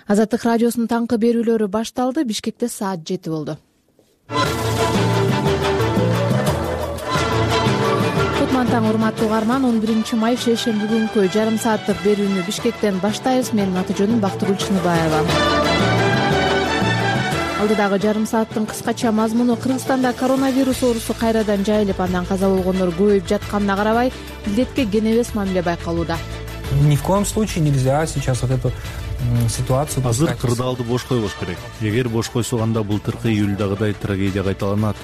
Азаттык радиосунун таңкы берүүлөрү башталды. Бишкекте саат 7 болду. Кутман таң, урматтуу угарман. 11 май шейшемби күнкү жарым сааттык берүүнү Бишкектен баштайбыз. Менин аты жөнүм Бактыгүл Чыныбаева. Алдыдагы жарым сааттын кыскача мазмуну: Кыргызстанда коронавирус оорусу кайрадан жайылып, андан каза болгондор көбөйүп жатканына карабай, илдетке кенебес мамиле байкалууда. Ни в коем случае нельзя сейчас вот эту ситуацию. Азыр кырдаалды бош койбош керек. Эгер бош койсок, анда былтыркы июльдагыдай трагедия кайталанат.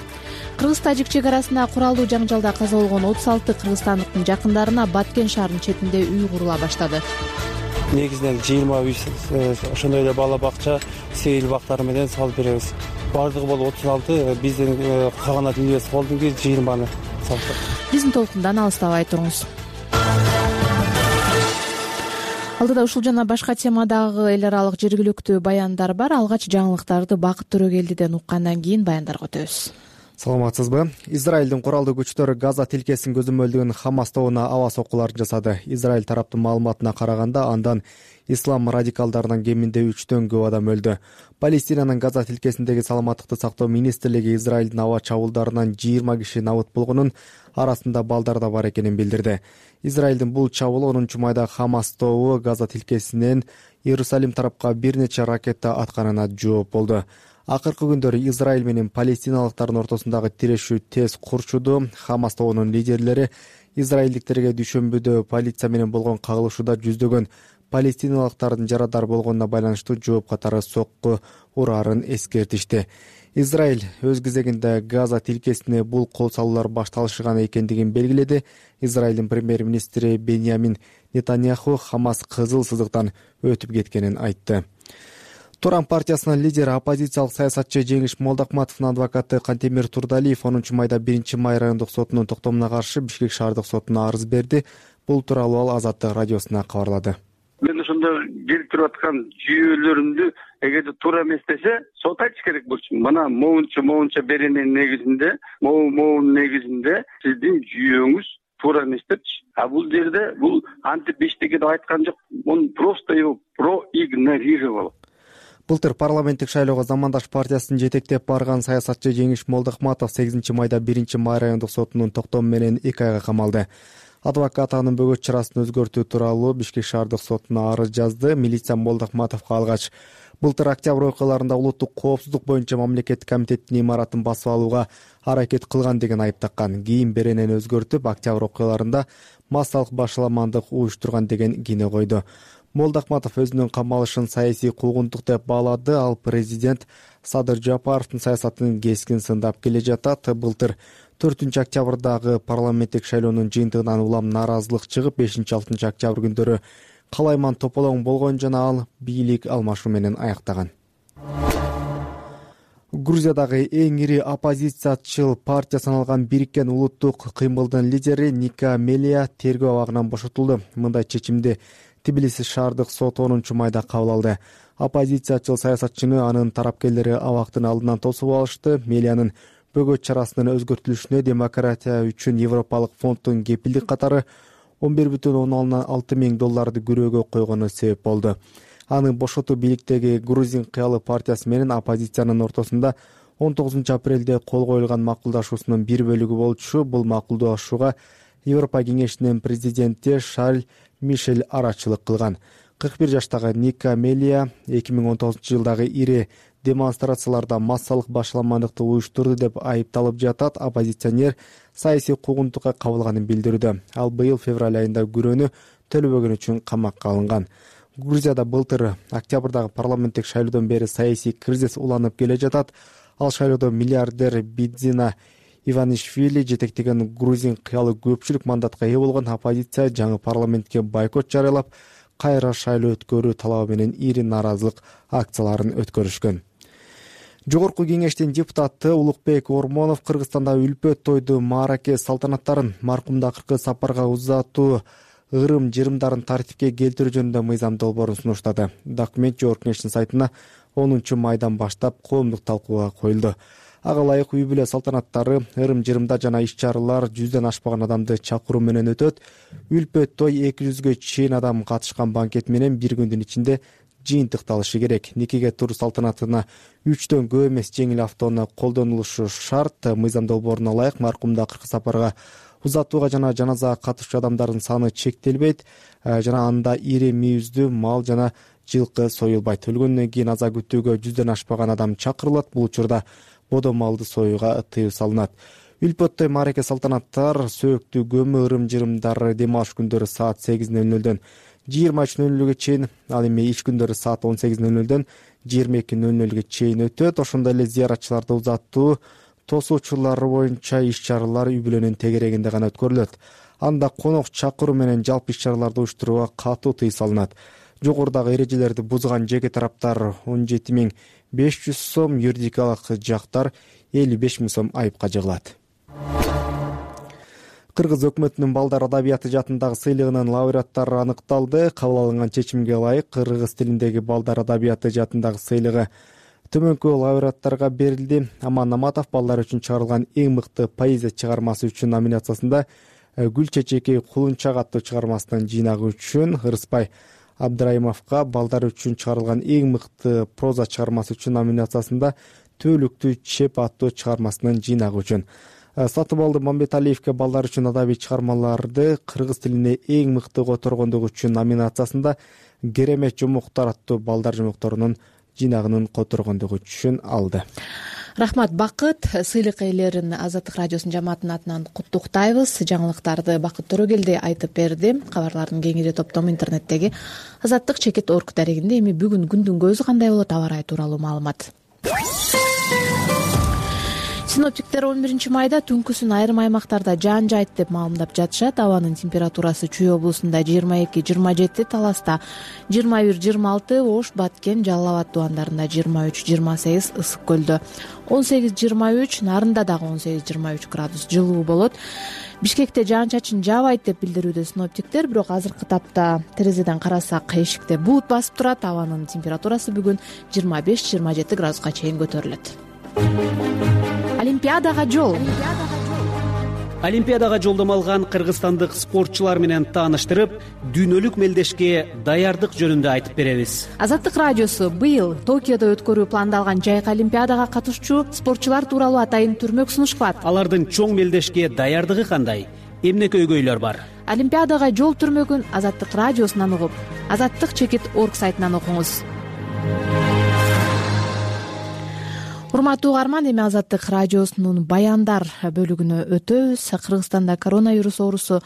Кыргыз-тажик чек арасында куралдуу жаңжалда каза болгон 36 кыргызстандыктын жакындарына Баткен шаарынын четинде үй курула баштады. Негизинен 20 үй, ошондой эле бала бакча, сейил бактары менен салып беребиз. Бардыгы болуп 36, биздин калган үйүбүз болдун кийин 20-ны салдык. Биздин толкундан алыстабай туруңуз. Алдыда ушул жана башка темадагы эл аралык жергиликтүү баяндар бар. Алгач жаңылыктарды Бакыт Төрөгелдиден уккандан кийин баяндарга өтөбүз. Саламатсызбы? Израилдин куралдуу күчтөрү Газа тилкесин көзөмөлдөгөн Хамас тобуна аба соккуларын жасады. Израиль тараптын маалыматына караганда, андан ислам радикалдарынан кеминде 3төн көп адам өлдү. Палестинанын Газа тилкесиндеги саламаттыкты сактоо министрлиги Израилдин аба чабуулдарынан 20 киши набыт болгонун, арасында балдар да бар экенин билдирди. Израилдин бул чабуул 10 майда Хамас тобу Газа тилкесинен Иерусалим тарапка бир нече ракета атканына жооп болду. Акыркы күндөрү Израиль менен палестиналыктардын ортосундагы тирешүү тез курчуду. Хамас тобунун лидерлери израилдиктерге дүйшөмбүдө полиция менен болгон кагылышууда жүздөгөн палестиналыктардын жарадар болгонуна байланыштуу жооп катары сокку ураарын эскертишти. Израиль өз кезегинде Газа тилкесине бул кол салуулар башталышкан экендигин белгиледи. Израилдин премьер-министри Беньямин Нетаньяху Хамас кызыл сызыктан өтүп кеткенин айтты. Туран партиясынын лидери, оппозициялык саясатчы Жеңиш Молдокматовдун адвокаты Кантемир Турдалиев 10 майда 1 май райондук сотунун токтомуна каршы Бишкек шаардык сотуна арыз берди. Бул тууралуу ал Азаттык радиосуна кабарлады. Мен ошондо келип туруп аткан жүйөлөрүмдү эгерде туура эмес десе, сот айтыш керек болчу. Мына моунча беренин негизинде, моун негизинде сиздин жүйөөңүз туура эмес депчи. А бул жерде бул антип эчтеке деп айткан жок. Он просто его проигнорировал. Былтыр парламенттик шайлоого Замандаш партиясын жетектеп барган саясатчы Жеңиш Молдокматов 8 майда 1 май райондук сотунун токтому менен 2 айга камалды. Адвокат анын бөгөт чарасын өзгөртүү тууралуу Бишкек шаардык сотуна арыз жазды. Милиция Молдокматовго алгач былтыр октябрь окуяларында улуттук коопсуздук боюнча мамлекеттик комитеттин имаратын басып алууга аракет кылган деген айып таккан. Кийин беренени өзгөртүп, октябрь окуяларында массалык башаламандык уюштурган деген кине койду. Молдокматов өзүнүн камалышын саясий куугунтук деп баалады. Ал президент Садыр Жапаровдун саясатын кескин сындап келе жатат. Былтыр 4 октябрдагы парламенттик шайлоонун жыйынтыгынан улам нааразылык чыгып, 5-6 октябрь күндөрү калайман тополоң болгон жана ал бийлик алмашуу менен аяктаган. Грузиядагы эң ири оппозициячыл партия саналган Бириккен улуттук кыймылдын лидери Ника Мелия тергөө абагынан бошотулду. Мындай чечимди Тбилиси шаардык сот 10 майда кабыл алды. Оппозициячыл саясатчыны анын тарапкерлери абактын алдынан тосуп алышты. Мелиянын бөгөт чарасынын өзгөртүлүшүнө демократия үчүн Европалык фонддун кепилдик катары $11,6 күрөөгө койгону себеп болду. Аны бошотуу бийликтеги Грузин кыялы партиясы менен оппозициянын ортосунда 19 апрелде кол коюлган макулдашуусунун бир бөлүгү болчу. Бул макулдашууга Европа кеңешинин президенти Шарль Мишель арачылык кылган. 41 жаштагы Ника Мелия 2019 жылдагы ири демонстрацияларда массалык башаламандыкты уюштурду деп айыпталып жатат. Оппозиционер саясий куугунтукка кабылганын билдирүүдө. Ал быйыл февраль айында күрөөнү төлөбөгөн үчүн камакка алынган. Грузияда былтыр октябрдагы парламенттик шайлоодон бери саясий кризис уланып келе жатат. Ал шайлоодо миллиардер Бидзина Иванишвили жетектеген грузин кыялы көпчүлүк мандатка ээ болгон. Оппозиция жаңы парламентке бойкот жарыялап, кайра шайлоо өткөрүү талабы менен ири нааразылык акцияларын өткөрүшкөн. Жогорку кеңештин депутаты Улукбек Ормонов Кыргызстанда үлпөт тойду маараке салтанаттарын маркумду акыркы сапарга узатуу ырым-жырымдарын тартипке келтирүү жөнүндө мыйзам долбоорун сунуштады. Документ Жогорку кеңештин сайтына 10 майдан баштап коомдук талкууга коюлду. Ага ылайык үй бүлө салтанаттары, ырым-жырымда жана иш-чаралар 100дөн ашпаган адамды чакыруу менен өтөт. Үлпөт той 200гө чейин адам катышкан банкет менен бир күндүн ичинде жыйынтыкталышы керек. Никеге туруу салтанатына 3дөн көп эмес жеңил автоунаа колдонулушу шарт. Мыйзам долбооруна ылайык маркумду акыркы сапарга узатууга жана жаназага катышчу адамдардын саны чектелбейт жана анда ири мүйүздүү мал жана жылкы союлбайт. Өлгөндөн кийин аза күтүүгө 100дөн ашпаган адам чакырылат. Бул учурда бодо малды союуга тыюу салынат. Үлпөттөй маареке салтанаттар сөөктүү көмү ырым-жырымдар дем алыш күндөрү саат 8:00дөн 23:00 чейин, ал эми иш күндөрү саат 18:00дөн 22:00 чейин өтөт. Ошондой эле зыяратчыларды узатуу тосуучулар боюнча иш-чаралар үй бүлөнүн тегерегинде гана өткөрүлөт. Анда конок чакыруу менен жалпы иш-чараларды уюштурууга катуу тыюу салынат. Жогорудагы эрежелерди бузган жеке тараптар 17.500 сом, юридикалык жактар 55.000 сом айыпка жыгылат. Кыргыз өкмөтүнүн балдар адабияты жаатындагы сыйлыгынын лауреаттары аныкталды. Кабыл алынган чечимге ылайык кыргыз тилиндеги балдар адабияты жаатындагы сыйлыгы төмөнкү лауреаттарга берилди. Аман Наматов балдар үчүн чыгарылган эң мыкты поэзия чыгармасы үчүн номинациясында, Гүл чечеки кулунчак аттуу чыгармасынын жыйнагы үчүн, Ырыспай Абдрайымовго балдар үчүн чыгарылган эң мыкты проза чыгармасы үчүн номинациясында, Төөлүктүү чеп аттуу чыгармасынын жыйнагы үчүн, Сатыбалды Мамбеталиевге балдар үчүн адабий чыгармаларды кыргыз тилине эң мыкты которгондугу үчүн номинациясында, Керемет жомоктор аттуу балдар жомокторунун жыйнагынын которгондугу үчүн алды. Рахмат, Бакыт. Сыйлык ээлерин Азаттык радиосунун жамаатынын атынан куттуктайбыз. Жаңылыктарды Бакыт Төрөгелди айтып берди. Кабарлардын кеңири топтому интернеттеги azattik.org дарегинде. Эми бүгүн күндүн көзү кандай болот, аба ырайы тууралуу маалымат. Синоптиктер 11 майда түнкүсүн айрым аймактарда жаан жайт деп маалымдап жатышат. Абанын температурасы Чүй облусунда 22-27, Таласта 21-26, Ош, Баткен, Жалал Абад тубандарында 23-28, Ысык көлдө 18-23, Нарында дагы 18-23 градус жылуу болот. Бишкекте жаан-чачын жаабайт деп билдирүүдө синоптиктер, бирок азыркы тапта терезеден карасак эшикте булут басып турат. Абанын температурасы бүгүн 25-27 градуска чейин көтөрүлөт. Олимпиадага жол. Олимпиадага жолдомо алган кыргызстандык спортчулар менен тааныштырып, дүйнөлүк мелдешке даярдык жөнүндө айтып беребиз. Азаттык радиосу быйыл Токиодо өткөрүү пландалган жайкы Олимпиадага катышчу спортчулар тууралуу атайын түрмөк сунушпат. Алардын чоң мелдешке даярдыгы кандай? Эмне көйгөйлөр бар? Олимпиадага жол түрмөгүн Азаттык радиосунан угуп, azattik.org сайтынан окуңуз. Урматтуу угарман, эми Азаттык радиосунун баяндар бөлүгүнө өтөбүз. Кыргызстанда коронавирус оорусу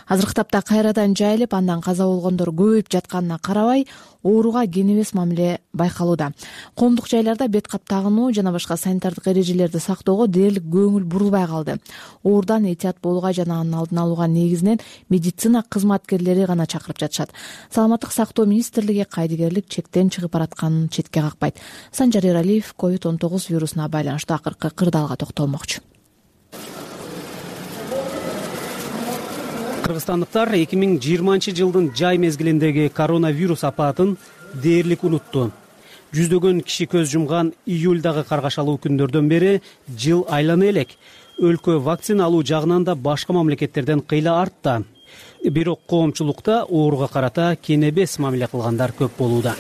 азыркы тапта кайрадан жайылып, андан каза болгондор көбөйүп жатканына карабай, ооруга кенебес мамиле байкалууда. Коомдук жайларда бет кап тагынуу жана башка санитардык эрежелерди сактоого дээрлик көңүл бурулбай калды. Оордан этият болууга жана анын алдын алууга негизинен медицина кызматкерлери гана чакырып жатышат. Саламаттык сактоо министрлиги кайдыгерлик чектен чыгып баратканын четке какпайт. Санжар Эралиев COVID-19 вирусуна байланыштуу акыркы кырдаалга токтолмокчу. Кыргызстандыктар 2020 жылдын жай мезгилиндеги коронавирус апатын дээрлик унутту. Жүздөгөн киши көз жумган июльдагы каргашалуу күндөрдөн бери жыл айлана элек. Өлкө вакцина алуу жагынан да башка мамлекеттерден кыйла артта. Бирок коомчулукта ооруга карата кенебес мамиле кылгандар көп болууда.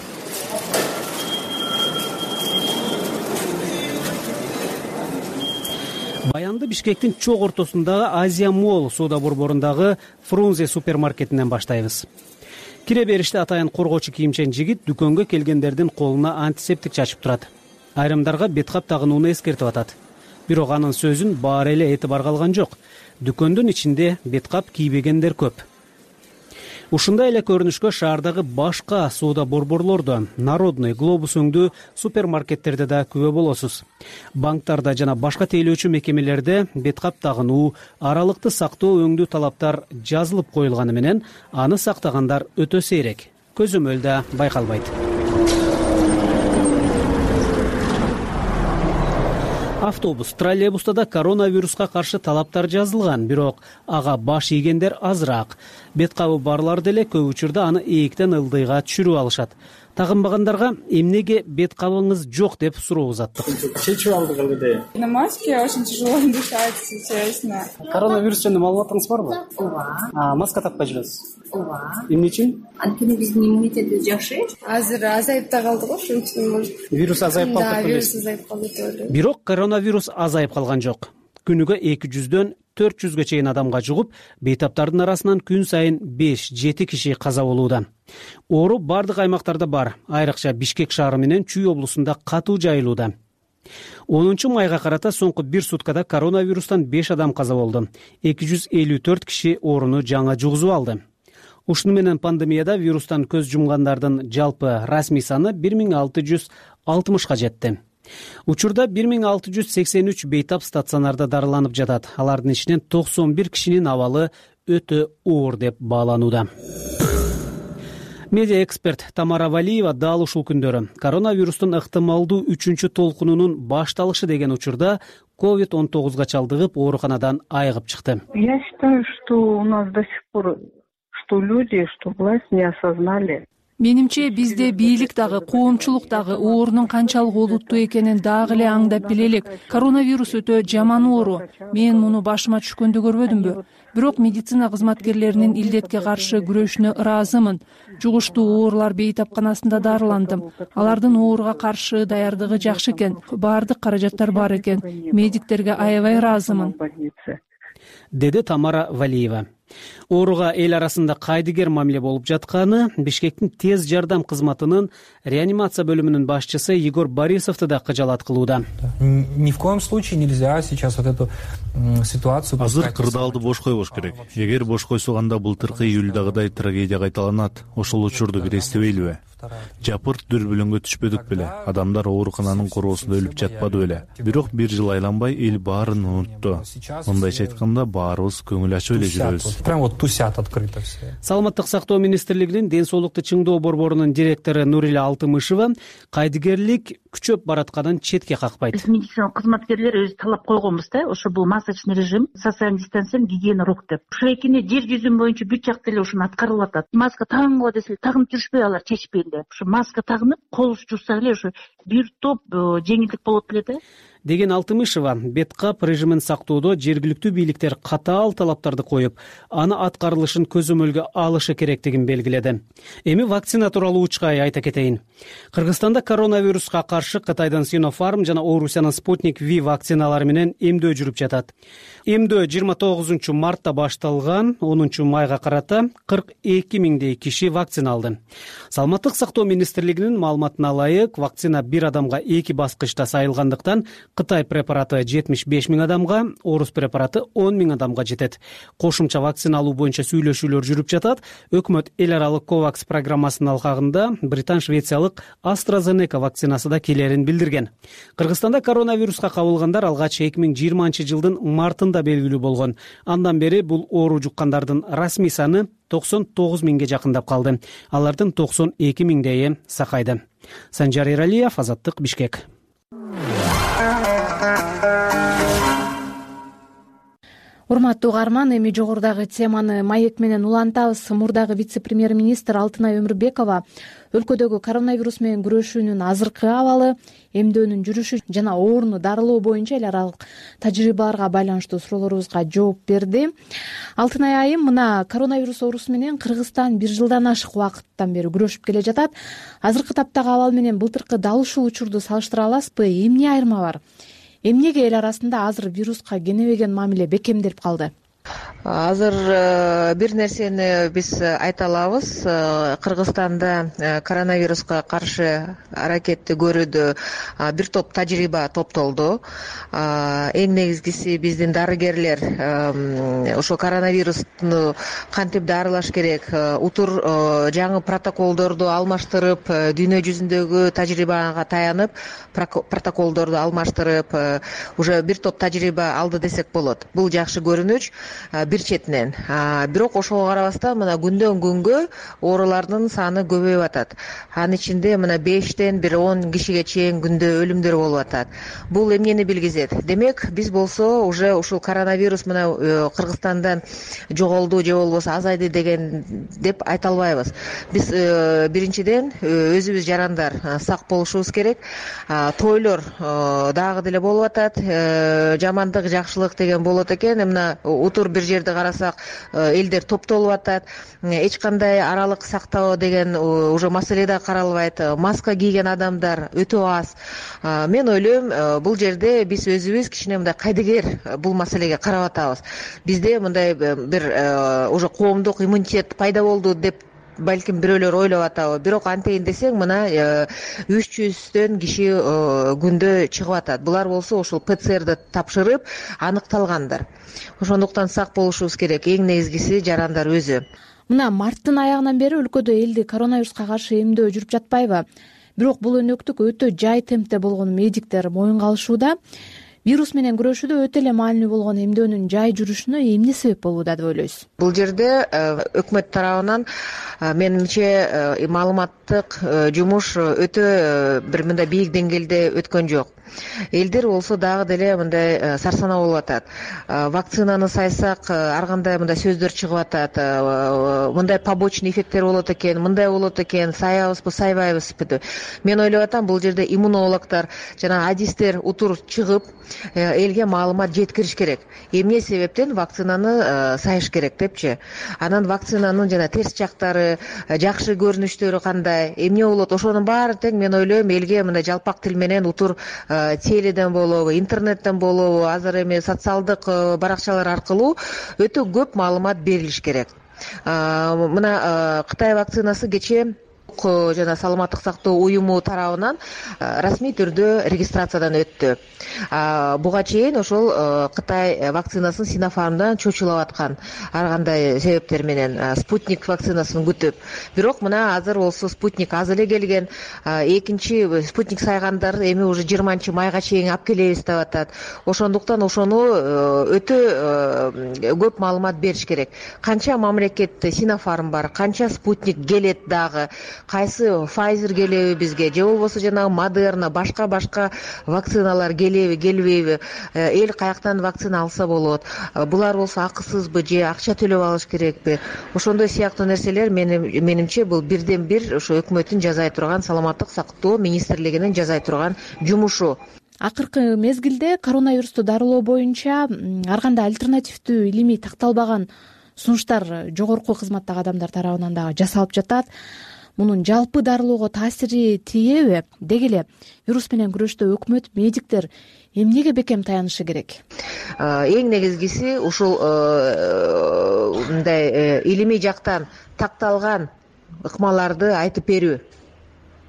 Баянды Бишкектин чок ортосундагы Азия Молл соода борборундагы Фрунзе супермаркетинен баштайбыз. Кире бериште атайын коргоочу кийимчен жигит дүкөнгө келгендердин колуна антисептик чачып турат. Айрымдарга бет кап тагынууну эскертип атат. Бирок анын сөзүн баары эле этибарга алган жок. Дүкөндүн ичинде бет кап кийбегендер көп. Ушундай эле көрүнүшкө шаардагы башка соода борборлордо, Народный, Глобус өңдүү супермаркеттерде да күбө болосуз. Банктарда жана башка тейлөөчү мекемелерде бет кап тагынуу, аралыкты сактоо өңдүү талаптар жазылып коюлганы менен аны сактагандар өтө сейрек. Көзөмөлдө байкалбайт. Автобус, троллейбуста да коронавируска каршы талаптар жазылган, бирок ага баш ийгендер азыраак. Бет кабы барлар деле көп учурда аны ээктен ылдыйга түшүрүп алышат. Тагынбагандарга эмнеге бет кабыңыз жок деп суроо узаттык. Чечип алдык эле. На маске очень тяжело дышать, если честно. Коронавирус жөнүндө маалыматыңыз барбы? Ооба. Маска такпай жүрөсүз? Ооба. Эмне үчүн? Анткени биздин иммунитетибиз жакшы. Азыр азайып да калды го, ошон үчүн может. Вирус азайып калды. Да, вирус азайып калды деп ойлойм. Бирок коронавирус азайып калган жок. Күнүгө 200дөн 400гө чейин адамга жугуп, бейтаптардын арасынан күн сайын 5-7 киши каза болууда. Оору бардык аймактарда бар, айрыкча Бишкек шаары менен Чүй облусунда катуу жайылууда. 10-майга карата соңку 1 суткада коронавирустан 5 адам каза болду. 254 киши ооруну жаңы жугузуп алды. Ушуну менен пандемияда вирустан көз жумгандардын жалпы расмий саны 1660га жетти. Учурда 1683 бейтап стационарда дарыланып жатат. Алардын ичинен 91 кишинин абалы өтө оор деп бааланууда. Медиа эксперт Тамара Валиева дал ушул күндөрү коронавирустун ыктымалдуу 3-чү толкунунун башталышы деген учурда COVID-19га чалдыгып ооруканадан айыгып чыкты. Я считаю, что у нас до сих пор, что люди, что власть не осознали. Менимче бизде бийлик дагы, коомчулук дагы оорунун канчалык олуттуу экенин дагы эле аңдап биле элек. Коронавирус өтө жаман оору. Мен муну башыма түшкөндө көрбөдүмбү? Бирок медицина кызматкерлеринин илдетке каршы күрөшүнө ыраазымын. Жугуштуу оорулар бейтапканасында дарыландым. Алардын ооруга каршы даярдыгы жакшы экен. Баардык каражаттар бар экен. Медиктерге аябай ыраазымын, деди Тамара Валиева. Ооруга эл арасында кайдыгер мамиле болуп жатканы Бишкектин тез жардам кызматынын реанимация бөлүмүнүн башчысы Егор Борисовду да кыжалат кылууда. Ни в коем случае нельзя сейчас вот эту ситуацию. Азыр кырдаалды бош койбош керек. Эгер бош койсок анда былтыркы июльдагыдай трагедия кайталанат. Ошол учурду кирестебейлиби? Жапырт дүрбүлөңгө түшпөдүк беле. Адамдар оорукананын короосунда өлүп жатпады беле. Бирок 1 жыл айланбай эл баарын унутту. Мындайча айтканда баарыбыз көңүл ачып эле жүрөбүз. Прям вот тусят открыто все. Саламаттык сактоо министрлигинин ден соолукту чыңдоо борборунун директору Нурила Алтымышева кайдыгерлик күчөп баратканын четке какпайт. Биз медицина кызматкерлер өз талап койгонбуз да, ошо бул масочный режим, социальный дистанция, гигиена рук деп. Ошо экини жер жүзүн боюнча бүт жакта эле ушуну аткарылып атат. Маска тагынгыла десе тагынып жүрүшпөй алар чечпей эле. Ошо маска тагынып, кол жуусак эле ошо бир топ жеңилдик болот эле да. Деген Алтымышева бет кап режимин сактоодо жергиликтүү бийликтер катаал талаптарды коюп, аны аткарылышын көзөмөлгө алышы керектигин белгиледи. Эми вакцина тууралуу учкай айта кетейин. Кыргызстанда коронавируска каршы Кытайдын Sinopharm жана Орусиянын Sputnik V вакциналары менен эмдөө жүрүп жатат. Эмдөө 29 мартта башталган, 10 майга карата 42 миңдей киши вакцина алды. Саламаттык сактоо министрлигинин маалыматына ылайык, вакцина бир адамга 2 баскычта сайылгандыктан Кытай препараты 75 миң адамга, Орус препараты 10 миң адамга жетет. Кошумча вакцина алуу боюнча сүйлөшүүлөр жүрүп жатат. Өкмөт эл аралык COVAX программасынын алкагында британ-швециялык AstraZeneca вакцинасы да келерин билдирген. Кыргызстанда коронавируска кабылгандар алгач 2020-жылдын мартында белгилүү болгон. Андан бери бул оору жуккандардын расмий саны 99 миңге жакындап калды. Алардын 92 миңдейи сакайды. Санжар Эралиев, Азаттык, Бишкек. Урматтуу угарман, эми жогорудагы теманы маек менен улантабыз. Мурдагы вице-премьер-министр Алтынай Өмүрбекова өлкөдөгү коронавирус менен күрөшүүнүн азыркы абалы, эмдөөнүн жүрүшү жана ооруну дарылоо боюнча эл аралык тажрыйбаларга байланыштуу суроолорубузга жооп берди. Алтынай айым, мына коронавирус оорусу менен Кыргызстан 1 жылдан ашык убакыттан бери күрөшүп келе жатат. Азыркы таптагы абал менен былтыркы дал ушул учурду салыштыра аласызбы? Эмне айырма бар? Эмнеге эл арасында азыр вируска кенебеген мамиле бекемделип калды? Азыр бир нерсени биз айта алабыз. Кыргызстанда коронавируска каршы аракетти көрүүдө бир топ тажрыйба топтолду. Эң негизгиси биздин дарыгерлер ошо коронавирусту кантип дарылаш керек, утур жаңы протоколдорду алмаштырып, дүйнө жүзүндөгү тажрыйбага таянып, протоколдорду алмаштырып, уже бир топ тажрыйба алды десек болот. Бул жакшы көрүнүч. бир четинен. Бирок ошого карабастан мына күндөн күнгө оорулардын саны көбөйүп атат. Анын ичинде мына 5тен бир 10 кишиге чейин күндө өлүмдөр болуп атат. Бул эмнени билгизет? Демек, биз болсо уже ушул коронавирус мына Кыргызстандан жоголду же болбосо азайды деп айта албайбыз. Биз биринчиден өзүбүз жарандар сак болушубуз керек. Тойлор дагы деле болуп атат. Жамандык, жакшылык деген болот экен. Мына утур бир жерде карасак, элдер топтолуп атат. Эч кандай аралык сактоо деген уже маселе да каралбайт. Маска кийген адамдар өтө аз. Мен ойлойм, бул жерде биз өзүбүз кичине мындай кайдыгер бул маселеге карап атабыз. Бизде мындай бир уже коомдук иммунитет пайда болду деп балким бирөөлөр ойлоп атабы. Бирок антейин десең, мына 300төн киши күндө чыгып атат. Булар болсо ушул ПЦРди тапшырып аныкталгандар. Ошондуктан сак болушубуз керек. Эң негизгиси жарандар өзү. Мына марттын аягынан бери өлкөдө элди коронавируска каршы эмдөө жүрүп жатпайбы? Бирок бул өнөктүк өтө жай темпте болгону медиктер моюнга алышууда. Вирус менен күрөшүүдө өтө эле маанилүү болгон эмдөөнүн жай жүрүшүнө эмне себеп болууда деп ойлойсуз? Бул жерде өкмөт тарабынан менимче маалыматтык жумуш өтө бир мындай бийик деңгээлде өткөн жок. Элдер болсо дагы деле мындай сарсанаа болуп атат. Вакцинаны сайсак ар кандай мындай сөздөр чыгып атат. Мындай побочный эффекттер болот экен, мындай болот экен, саябызбы, сайбайбызбы. Мен ойлоп атам, бул жерде иммунологдор жана адистер утур чыгып элге маалымат жеткириш керек. Эмне себептен вакцинаны сайыш керек депчи. Анан вакцинанын жана терс жактары, жакшы көрүнүштөрү кандай, эмне болот, ошонун баары тең мен ойлойм элге мындай жалпак тил менен утур теледен болобу, интернеттен болобу, азыр эми социалдык баракчалар аркылуу өтө көп маалымат берилиш керек. Мына Кытай вакцинасы кечээ жана саламаттык сактоо уюму тарабынан расмий түрдө регистрациядан өттү. Буга чейин ошол Кытай вакцинасын Синофармдан чочулап аткан ар кандай себептер менен спутник вакцинасын күтүп. Бирок мына азыр болсо спутник аз эле келген. Экинчи спутник сайгандар эми уже 20-майга чейин алып келебиз деп атат. Ошондуктан ошону өтө көп маалымат бериш керек. Канча мамлекетте Синофарм бар, канча спутник келет дагы, кайсы Pfizer келеби бизге, же болбосо жанагы Модерна, башка вакциналар келеби, келбейби, эл каяктан вакцина алса болот, булар болсо акысызбы же акча төлөп алыш керекпи? Ошондой сыяктуу нерселер менимче бул бирден бир ошо өкмөттүн жасай турган, саламаттык сактоо министрлигинин жасай турган жумушу. Акыркы мезгилде коронавирусту дарылоо боюнча ар кандай альтернативдүү илимий такталбаган сунуштар жогорку кызматтагы адамдар тарабынан дагы жасалып жатат. Мунун жалпы дарылоого таасири тийеби? Деги эле вирус менен күрөштө өкмөт, медиктер эмнеге бекем таянышы керек? Эң негизгиси ушул мындай илимий жактан такталган ыкмаларды айтып берүү.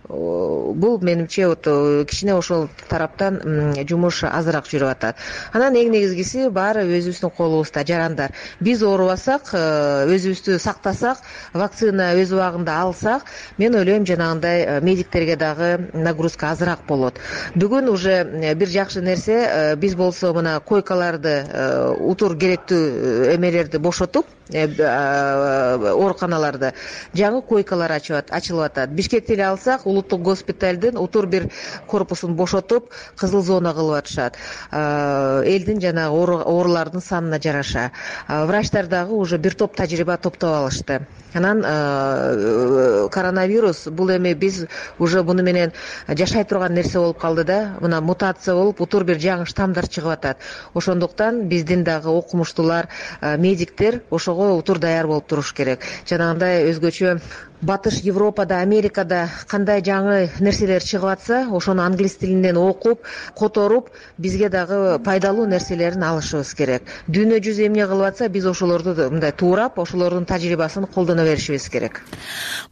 Бул менимче кичине ошол тараптан жумуш азыраак жүрүп атат. Анан эң негизгиси баары өзүбүздүн колубузда, жарандар. Биз оорубасак, өзүбүздү сактасак, вакцина өз убагында алсак, мен ойлойм жанагындай медиктерге дагы нагрузка азыраак болот. Бүгүн уже бир жакшы нерсе, биз болсо мына койкаларды, утур керектүү эмелерди бошотуп, ооруканаларды жаңы койкалар ачылып атат. Бишкекти эле алсак, улуттук госпиталдын утур бир корпусун бошотуп, кызыл зона кылып атышат. Элдин жанагы оорулардын санына жараша. Врачтар дагы уже бир топ тажрыйба топтоп алышты. Анан коронавирус бул эми биз уже буну менен жашай турган нерсе болуп калды да, мына мутация болуп, утур бир жаңы штаммдар чыгып атат. Ошондуктан биздин дагы окумуштуулар, медиктер ошого утур даяр болуп туруш керек. Жанагындай өзгөчө Батыш Европада, Америкада кандай жаңы нерселер чыгып атса, ошону англис тилинен окуп, которуп, бизге дагы пайдалуу нерселерин алышыбыз керек. Дүйнө жүзү эмне кылып атса, биз ошолорду мындай туурап, ошолордун тажрыйбасын колдоно беришибиз керек.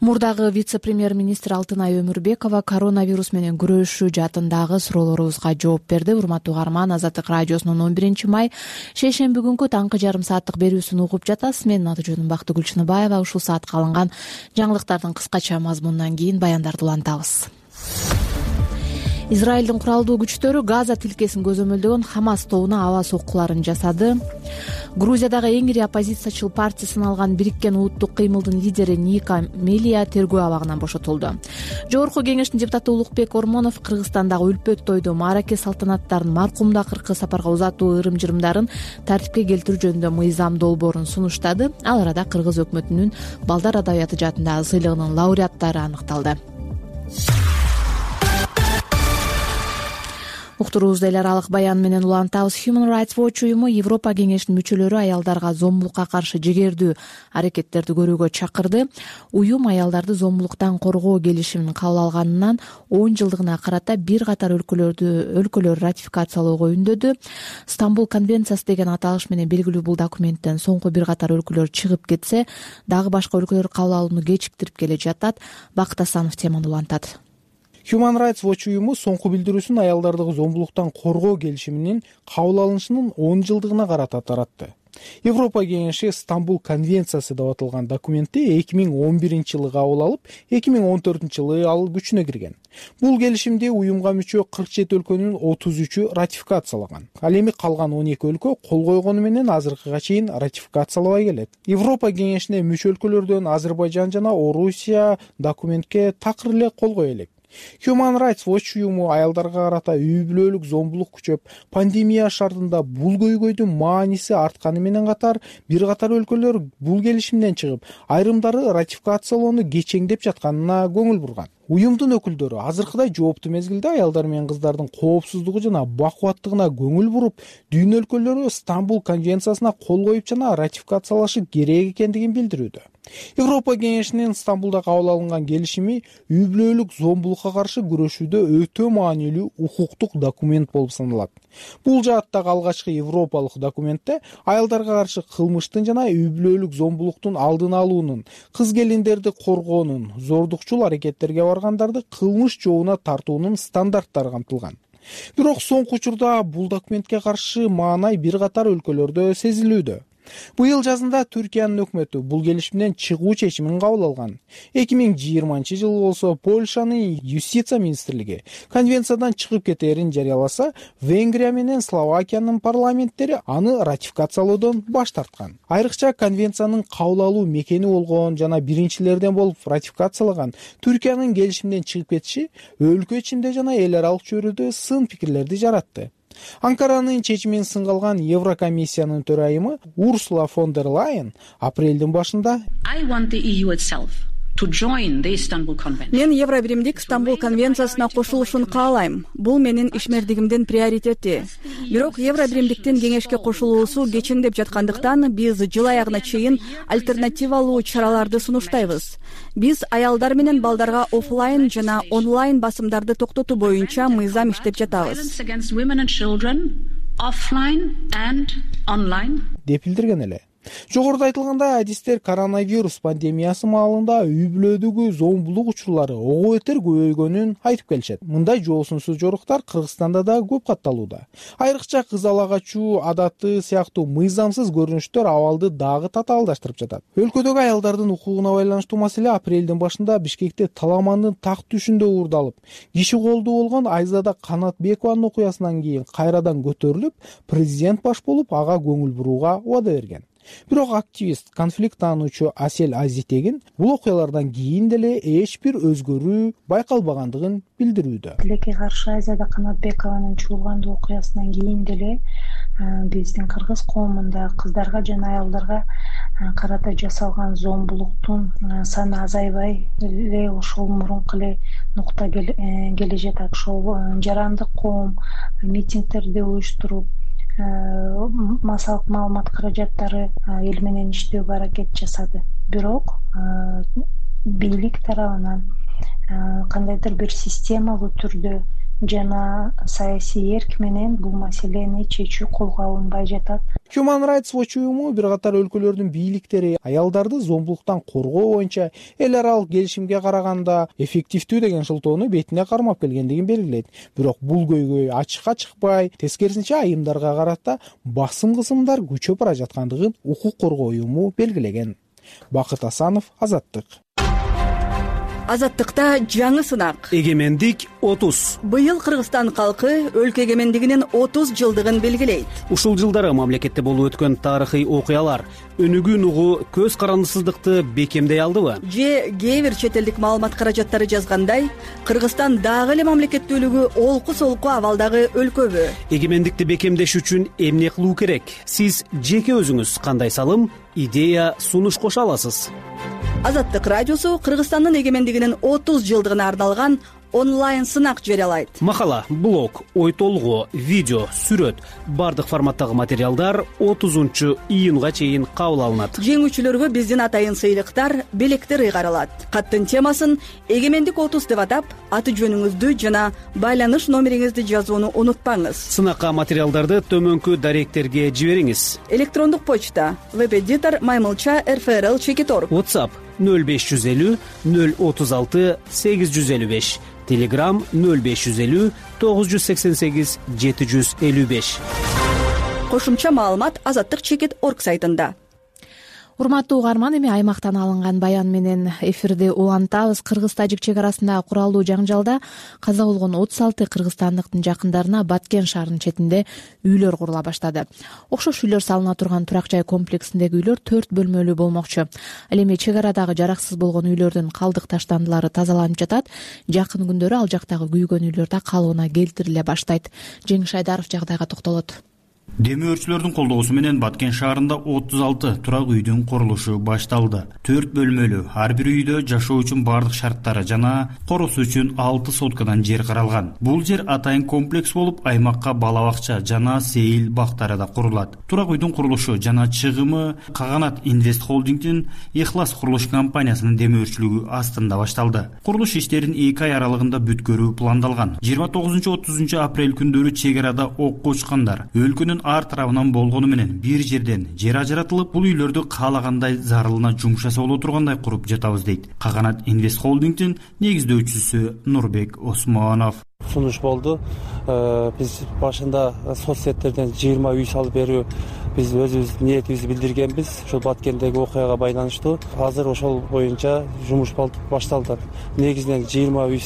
Мурдагы вице-премьер-министр Алтынай Өмүрбекова коронавирус менен күрөшүү жаатындагы суроолорубузга жооп берди. Урматтуу угарман, Азаттык радиосунун 11-май шейшемби күнкү таңкы жарым сааттык берүүсүн угуп жатасыз. Менин аты жөнүм Бактыгүл Чыныбаева. Ушул саатка алынган жаңылыктардын кыскача мазмунунан кийин баяндарды улантабыз. Израилдин куралдуу күчтөрү Газа тилкесин көзөмөлдөгөн Хамас тобуна аба соккуларын жасады. Грузиядагы эң ири оппозициячыл партия сыналган Бириккен улуттук кыймылдын лидери Ника Мелия тергөө абагынан бошотулду. Жогорку кеңештин депутаты Улукбек Ормонов Кыргызстандагы үлпөт тойду, маараке салтанаттарын, маркумду акыркы сапарга узатуу ырым-жырымдарын тартипке келтирүү жөнүндө мыйзам долбоорун сунуштады. Ал арада Кыргыз өкмөтүнүн балдар адабияты жаатындагы сыйлыгынын лауреаттары аныкталды. Уктуруубузду эл аралык баян менен улантабыз. Human Rights Watch уюму Европа кеңешинин мүчөлөрү аялдарга зомбулукка каршы жигердүү аракеттерди көрүүгө чакырды. Уюм аялдарды зомбулуктан коргоо келишимин кабыл алганынан 10 жылдыгына карата бир катар өлкөлөр ратификациялоого үндөдү. Стамбул конвенциясы деген аталыш менен белгилүү бул документтен соңку бир катар өлкөлөр чыгып кетсе, дагы башка өлкөлөр кабыл алууну кечиктирип келе жатат. Бакыт Асанов теманы улантат. Human Rights Watch уюму соңку билдирүүсүн аялдарды зомбулуктан коргоо келишиминин кабыл алынышынын 10 жылдыгына карата таратты. Европа кеңеши Стамбул конвенциясы деп аталган документти 2011 жылы кабыл алып, 2014 жылы ал күчүнө кирген. Бул келишимди уюмга мүчө 47 өлкөнүн 33-ү ратификациялаган. Ал эми калган 12 өлкө кол койгону менен азыркыга чейин ратификациялабай келет. Европа кеңешине мүчө өлкөлөрдөн Азербайжан жана Орусия документке такыр эле кол кое элек. Human Rights Watch уюму аялдарга карата үй бүлөлүк зомбулук күчөп, пандемия шартында бул көйгөйдүн мааниси артканы менен катар, бир катар өлкөлөр бул келишимден чыгып, айрымдары ратификациялоону кечеңдеп жатканына көңүл бурган. Уюмдун өкүлдөрү азыркыдай жооптуу мезгилде аялдар менен кыздардын коопсуздугу жана бакубаттыгына көңүл буруп, дүйнө өлкөлөрү Стамбул конвенциясына кол коюп жана ратификациялашы керек экендигин билдирүүдө. Европа кеңешинин Стамбулда кабыл алынган келишими үй бүлөлүк зомбулукка каршы күрөшүүдө өтө маанилүү укуктук документ болуп саналат. Бул жааттагы алгачкы европалык документте аялдарга каршы кылмыштын жана үй бүлөлүк зомбулуктун алдын алуунун, кыз келиндерди коргоонун, зордукчул аракеттерге баргандарды кылмыш жообуна тартуунун стандарттары камтылган. Бирок соңку учурда бул документке каршы маанай бир катар өлкөлөрдө сезилүүдө. Быйыл жазында Түркиянын өкмөтү бул келишимден чыгуу чечимин кабыл алган. 2020 жылы болсо Польшанын юстиция министрлиги конвенциядан чыгып кетээрин жарыяласа, Венгрия менен Словакиянын парламенттери аны ратификациялоодон баш тарткан. Айрыкча конвенциянын кабыл алуу мекени болгон жана биринчилерден болуп ратификациялаган Түркиянын келишимден чыгып кетиши өлкө ичинде жана эл аралык чөйрөдө сын пикирлерди жаратты. Анкаранын чечимин сынга алган Еврокомиссиянын төрайымы Урсула фон дер Лайен апрелдин башында Мен Евробиримдик Стамбул конвенциясына кошулушун каалайм. Бул менин ишмердигимдин приоритети. Бирок Евробиримдиктин кеңешке кошулуусу кечиңдеп жаткандыктан биз жыл аягына чейин альтернативалуу чараларды сунуштайбыз. Биз аялдар менен балдарга офлайн жана онлайн басымдарды токтотуу боюнча мыйзам иштеп жатабыз. Деп билдирген эле. Жогоруда айтылгандай, адистер коронавирус пандемиясы маалында үй бүлөдөгү зомбулук учурлары ого бетер көбөйгөнүн айтып келишет. Мындай жоосунсуз жоруктар Кыргызстанда да көп катталууда. Айрыкча кыз ала качуу адаты сыяктуу мыйзамсыз көрүнүштөр абалды дагы татаалдаштырып жатат. Өлкөдөгү аялдардын укугуна байланыштуу маселе апрелдин башында Бишкекте Таламандын так түшүндө уурдалып, киши колдуу болгон Айзада Канатбекованын окуясынан кийин кайрадан көтөрүлүп, президент баш болуп ага көңүл буруга убада берген. Бирок активист, конфликт таануучу Асел Азитегин бул окуялардан кийин деле эч бир өзгөрүү байкалбагандыгын билдирүүдө. Тилекке каршы Айзада Канатбекованын чуулгандуу окуясынан кийин деле биздин кыргыз коомунда кыздарга жана аялдарга карата жасалган зомбулуктун саны азайбай эле ошол мурунку эле нукта келе жатат. Ошол жарандык коом митингдерди уюштуруп, массалык маалымат каражаттары эл менен иштөөгө аракет жасады. Бирок бийлик тарабынан кандайдыр бир системалуу түрдө жана саясий эрк менен бул маселени чечүү колго алынбай жатат. Human Rights Watch уюму бир катар өлкөлөрдүн бийликтери аялдарды зомбулуктан коргоо боюнча эл аралык келишимге караганда эффективдүү деген шылтоону бетине кармап келгендигин белгилейт. Бирок бул көйгөй ачыкка чыкпай, тескерисинче айымдарга карата басым кысымдар күчөп бара жаткандыгын укук коргоо уюму белгилеген. Бакыт Асанов, Азаттык. Азаттыкта жаңы сынак. Эгемендик 30. Быйыл Кыргызстан калкы өлкө эгемендигинин 30 жылдыгын белгилейт. Ушул жылдары мамлекетте болуп өткөн тарыхый окуялар өнүгүүн угу көз карандысыздыкты бекемдей алдыбы? Же кээ бир чет элдик маалымат каражаттары жазгандай, Кыргызстан дагы эле мамлекеттүүлүгү олку-солку абалдагы өлкөбү? Эгемендикти бекемдеш үчүн эмне кылуу керек? Сиз жеке өзүңүз кандай салым, идея, сунуш кошо аласыз? Азаттык радиосу Кыргызстандын эгемендигинин 30 жылдыгына арналган онлайн сынак жарыялайт. Макала, блог, ой толгоо, видео, сүрөт бардык форматтагы материалдар 30-июнга чейин кабыл алынат. Жеңүүчүлөргө биздин атайын сыйлыктар, белектер ыйгарылат. Каттын темасын эгемендик 30 деп атап, аты жөнүңүздү жана байланыш номериңизди жазууну унутпаңыз. Сынакка материалдарды төмөнкү даректерге жибериңиз. Электрондук почта webeditor@rfrl.org. WhatsApp 0550 036 855. Telegram 0550 988 755. Кошумча маалымат azattik.org сайтында. Урматтуу угарман, эми аймактан алынган баян менен эфирди улантабыз. Кыргыз-тажик чек арасындагы куралдуу жаңжалда каза болгон 36 кыргызстандыктын жакындарына Баткен шаарынын четинде үйлөр курула баштады. Окшош үйлөр салына турган турак жай комплексиндеги үйлөр 4 бөлмөлүү болмокчу. Ал эми чек арадагы жараксыз болгон үйлөрдүн калдык таштандылары тазаланып жатат. Жакын күндөрү ал жактагы күйгөн үйлөр да калыбына келтириле баштайт. Жеңиш Айдаров жагдайга токтолот. Демөөрчүлөрдүн колдоосу менен Баткен шаарында 36 турак үйдүн курулушу башталды. 4 бөлмөлүү, ар бир үйдө жашоо үчүн бардык шарттары жана коросу үчүн 6 соткадан жер каралган. Бул жер атайын комплекс болуп, аймакка бала бакча жана сейил бактары да курулат. Турак үйдүн курулушу жана чыгымы Каганат Инвест холдингдин Ихлас курулуш компаниясынын демөөрчүлүгү астында башталды. Курулуш иштерин 2 ай аралыгында бүткөрүү пландалган. 29-30 апрель күндөрү чек арада окко учкандар өлкөнүн ар тарабынан болгону менен бир жерден жер ажыратылып, бул үйлөрдү каалагандай зарылына жумшаса боло тургандай куруп жатабыз дейт Каганат Инвест холдингдин негиздөөчүсү Нурбек Осмонов. Сунуш болду. Биз башында соцсеттерден 20 үй салып берүү биз өзүбүз ниетибизди билдиргенбиз. Ошол Баткендеги окуяга байланыштуу. Азыр ошол боюнча жумуш башталды. Негизинен 20 үй,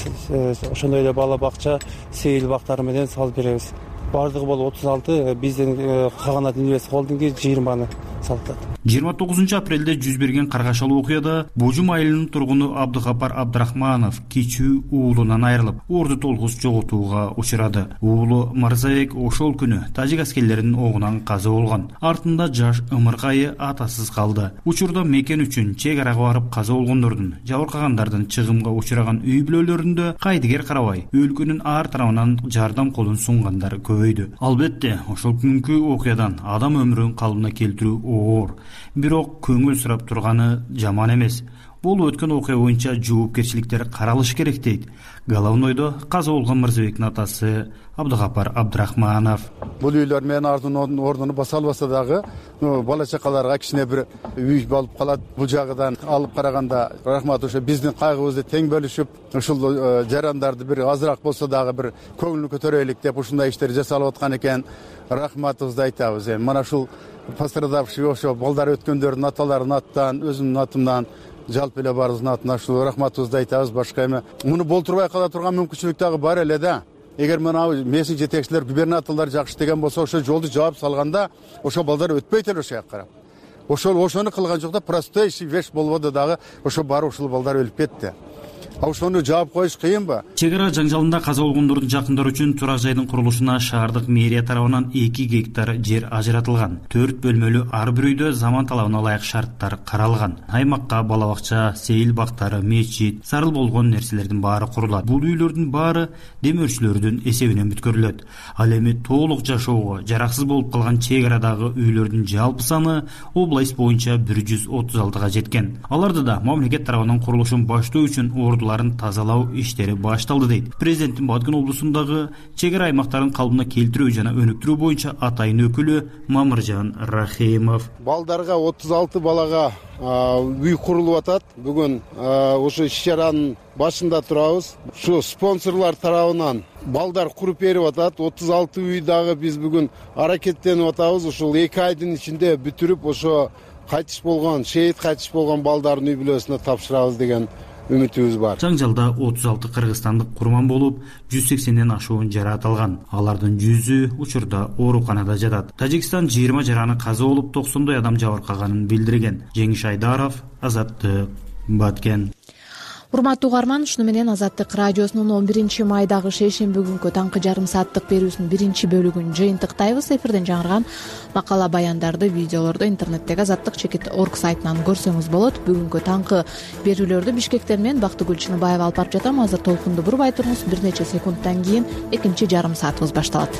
ошондой эле бала бакча, сейил бактары менен салып беребиз. Бардыгы болуп 36, биздин Каганат Инвест холдинги 20-ны салды. 29 апрелде жүз берген каргашалуу окуяда Божум айылынын тургуну Абдыгапар Абдрахманов кичүү уулунан айрылып, орду толгус жоготууга учурады. Уулу Марзаек ошол күнү тажик аскерлеринин огунан каза болгон. Артында жаш ымыркайы атасыз калды. Учурда мекен үчүн чек арага барып каза болгондордун, жабыркагандардын чыгымга учураган үй бүлөлөрүндө кайдыгер карабай, өлкөнүн ар тарабынан жардам колун сунгандар көбөйдү. Албетте, ошол күнкү окуядан адам өмүрүн калыбына келтирүү оор. Бирок көңүл сурап турганы жаман эмес. Болуп өткөн окуя боюнча жоопкерчиликтер каралышы керек дейт Головнойдо каза болгон Мырзабектин атасы Абдыгапар Абдрахманов. Бул үйлөр менин ордуну баса албаса дагы бала чакаларга кичине бир үй болуп калат. Бул жагынан алып караганда рахмат, ошо биздин кайгыбызды тең бөлүшүп, ушул жарандарды бир азыраак болсо дагы бир көңүлүн көтөрөлүк деп ушундай иштер жасалып аткан экен. Рахматыбызды айтабыз. Мана ушул пострадавший ошо балдар өткөндөрдүн аталарынын атынан, өзүмдүн атымдан, жалпы эле баарыбыздын атынан ушул рахматыбызды айтабыз. Башка эме муну болтурбай кала турган мүмкүнчүлүк дагы бар эле да. Эгер мына меси жетекчилер, губернаторлор жакшы иштеген болсо, ошо жолду жаап салганда, ошо балдар өтпөйт эле ошол жака карап. Ошону кылган жок да, простой вещь болбоду дагы, ошо барып ушул балдар өлүп кетти. Ошону жаап коюш кыйынбы? Чек ара жаңжалында каза болгондордун жакындары үчүн турак жайдын курулушуна шаардык мэрия тарабынан 2 гектар жер ажыратылган. 4 бөлмөлүү ар бир үйдө заман талабына ылайык шарттар каралган. Аймакка бала бакча, сейил бактары, мечит, зарыл болгон нерселердин баары курулат. Бул үйлөрдүн баары демөөрчүлөрдүн эсебинен бүткөрүлөт. Ал эми толук жашоого жараксыз болуп калган чек арадагы үйлөрдүн жалпы саны область боюнча 136га жеткен. Аларды да мамлекет тарабынан курулушун баштоо үчүн ордуларын тазалоо иштери башталды дейт президенттин Баткен облусундагы чек ара аймактарын калыбына келтирүү жана өнүктүрүү боюнча атайын өкүлү Мамыржан Рахимов. Балдарга 36 балага үй курулуп атат. Бүгүн ошо иш-чаранын башында турабыз. Ушу спонсорлор тарабынан балдар куруп берип атат. 36 үй дагы биз бүгүн аракеттенип атабыз. Ушул 2 айдын ичинде бүтүрүп, ошо кайтыш болгон, шейит кайтыш болгон балдардын үй бүлөсүнө тапшырабыз деген үмүтүбүз бар. Жаңжалда 36 кыргызстандык курман болуп, 180ден ашуун жараат алган. Алардын 100ү учурда ооруканада жатат. Тажикстан 20 жараны каза болуп, 90 адам жабыркаганын билдирген. Жеңиш Айдаров, Азаттык, Баткен. Урматтуу угарман, ушуну менен Азаттык радиосунун 11 майдагы шейшемби күнкү таңкы жарым сааттык берүүсүнүн биринчи бөлүгүн жыйынтыктайбыз. Эфирден жаңырган макала баяндарды, видеолорду интернеттеги azatlyk.org сайтынан көрсөңүз болот. Бүгүнкү таңкы берүүлөрдү Бишкектен мен Бактыгүл Чыныбаева алып барып жатам. Азыр толкунду бурбай туруңуз. Бир нече секундтан кийин экинчи жарым саатыбыз башталат.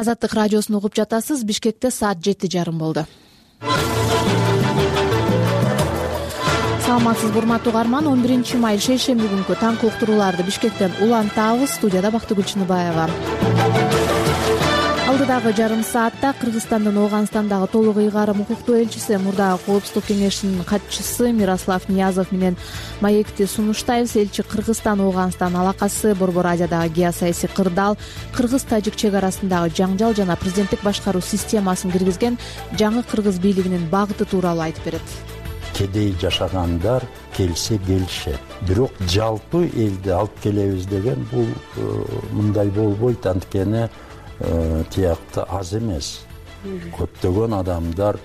Азаттык радиосун угуп жатасыз. Бишкекте саат 7:30 болду. Саламатсызбы урматтуу угарман, 11 май шейшемби күнкү таңкы уктурууларды Бишкектен улантабыз. Студияда Бактыгүл Чыныбаева. Алдыдагы жарым саатта Кыргызстандын Ооганстандагы толук ыйгарым укуктуу элчиси, мурдагы Коопсуздук кеңешинин катчысы Мирослав Ниязов менен маекти сунуштайбыз. Элчи Кыргызстан Ооганстан алакасы, Борбор Азиядагы геосаясий кырдаал, кыргыз-тажик чек арасындагы жаңжал жана президенттик башкаруу системасын киргизген жаңы кыргыз бийлигинин багыты тууралуу айтып берет. Кедей жашагандар келсе келишет. Бирок жалпы элди алып келебиз деген бул мындай болбойт, анткени тиякты аз эмес. Көптөгөн адамдар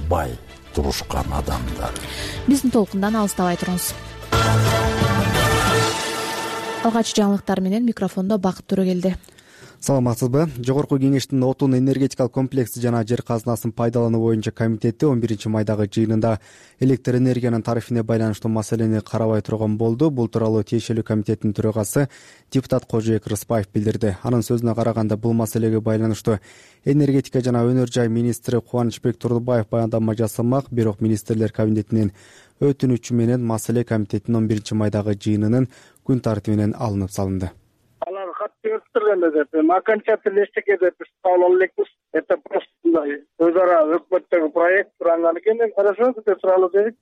бай турушкан адамдар. Биздин толкундан алыстабай туруңуз. Алгач жаңылыктар менен микрофондо Бакыт Төрөгелди. Саламатсызбы? Жогорку кеңештин отун энергетикалык комплекси жана жер казынасын пайдалануу боюнча комитети 11 майдагы жыйынында электр энергиянын тарифине байланыштуу маселени карабай турган болду. Бул тууралуу тиешелүү комитеттин төрагасы депутат Кожоек Рыспаев билдирди. Анын сөзүнө караганда, бул маселеге байланыштуу энергетика жана өнөр жай министри Кубанычбек Турдубаев баяндама жасамак, бирок министрлер кабинетинин өтүнүчү менен маселе комитеттин 11 майдагы жыйынынын күн тартибинен алынып салынды. Деп окончательно эчтеке деп кабыл ала элекпиз. Это просто өз ара өкмөттөгү проект турган экен, хорошо деп суралып дедик.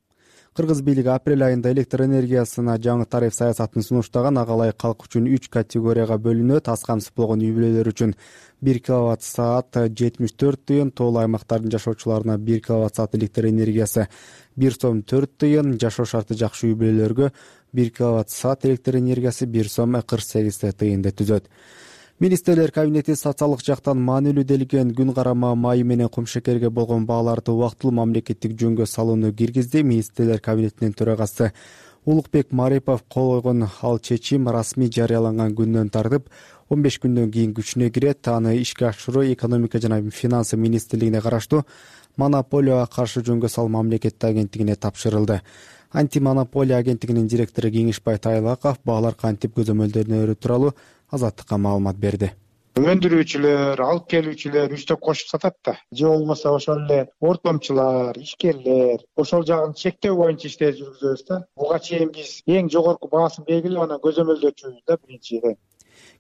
Кыргыз бийлиги апрель айында электр энергиясына жаңы тариф саясатын сунуштаган. Ага ылайык калк үчүн 3 категорияга бөлүнөт. Аз камсыз болгон үй бүлөлөр үчүн 1 киловатт саат 74 тыйын, тоолуу аймактардын жашоочуларына 1 киловатт саат электр энергиясы 1 сом 4 тыйын, жашоо шарты жакшы үй бүлөлөргө 1 киловатт саат электр энергиясы 1 сом 48 тыйынды түзөт. Министрлер кабинети социалдык жактан маанилүү делген күн карама майы менен кумшекерге болгон бааларды убактылуу мамлекеттик жөнгө салууну киргизди. Министрлер кабинетинин төрагасы Улукбек Марипов кол койгон ал чечим расмий жарыяланган күндөн тартып 15 күндөн кийин күчүнө кирет. Аны ишке ашыруу экономика жана финансы министрлигине караштуу монополияга каршы жөнгө салуу мамлекеттик агенттигине тапшырылды. Антимонополия агенттигинин директору Кеңешбай Тайлаков баалар кантип көзөмөлдөнөрү тууралуу Азаттыкка маалымат берди. Өндүрүүчүлөр, алып келүүчүлөр үстөп кошуп сатат да. Же болбосо ошол эле ортомчулар, ишкерлер ошол жагын чектөө боюнча иштер жүргүзөбүз да. Буга чейин биз эң жогорку баасын белгилеп анан көзөмөлдөчүбүз да биринчиден.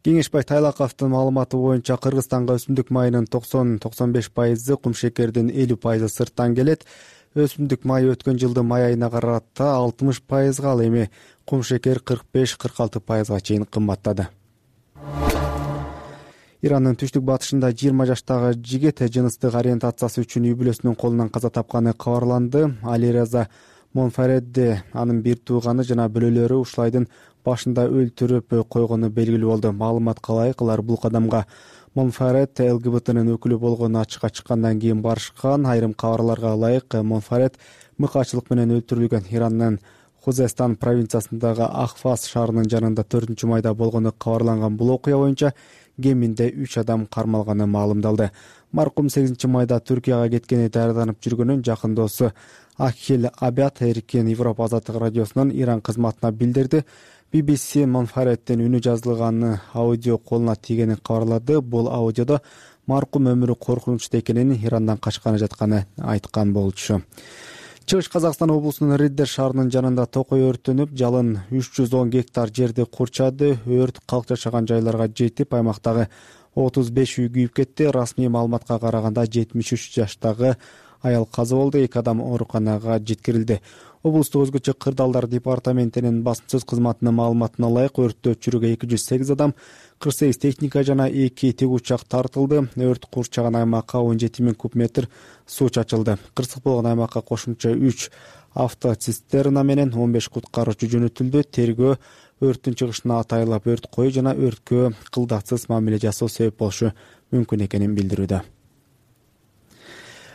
Кеңешбай Тайлаковдун маалыматы боюнча Кыргызстанга өсүмдүк майынын 90-95% кумшекердин 50% сырттан келет. Өсүмдүк майы өткөн жылдын май айына карата 60%, ал эми кумшекер 45-46%га чейин кымбаттады. Ирандын түштүк батышында 20 жаштагы жигит жыныстык ориентациясы үчүн үй бүлөсүнүн колунан каза тапканы кабарланды. Алиреза Монфаредди анын бир тууганы жана бөлөлөрү ушул айдын башында өлтүрүп койгону белгилүү болду. Маалыматка ылайык, алар бул кадамга Монфаред ЛГБТнын өкүлү болгону ачыкка чыккандан кийин барышкан. Айрым кабарларга ылайык, Монфаред мыкаачылык менен өлтүрүлгөн. Ирандын Хузестан провинциясындагы Ахфас шаарынын жанында 4 майда болгону кабарланган бул окуя боюнча кеминде 3 адам кармалганы маалымдалды. Маркум 8 майда Түркияга кеткени даярданып жүргөнүн жакын досу Ахил Абят Эркин Европа азаттык радиосунун Иран кызматына билдирди. BBC Монфареддин үнү жазылганы аудио колуна тийгенин кабарлады. Бул аудиодо маркум өмүрү коркунучта экенин, Ирандан качканы жатканы айткан болчу. Чыгыш Казакстан облусунун Риддер шаарынын жанында токой өрттөнүп, жалын 310 гектар жерди курчады. Өрт калк жашаган жайларга жетип, аймактагы 35 үй күйүп кетти. Расмий маалыматка караганда 73 жаштагы аял каза болду, 2 адам ооруканага жеткирилди. Облустук өзгөчө кырдаалдар департаментинин басма сөз кызматынын маалыматына ылайык өрттү өчүрүүгө 208 адам, 48 техника жана 2 тигучак тартылды. Өрт курчаган аймакка 17 000 куб метр суу чачылды. Кырсык болгон аймакка кошумча 3 автоцистерна менен 15 куткаруучу жөнөтүлдү. Тергөө өрттүн чыгышына атайлап өрт кою жана өрткө кылдатсыз мамиле жасоо себеп болушу мүмкүн экенин билдирүүдө.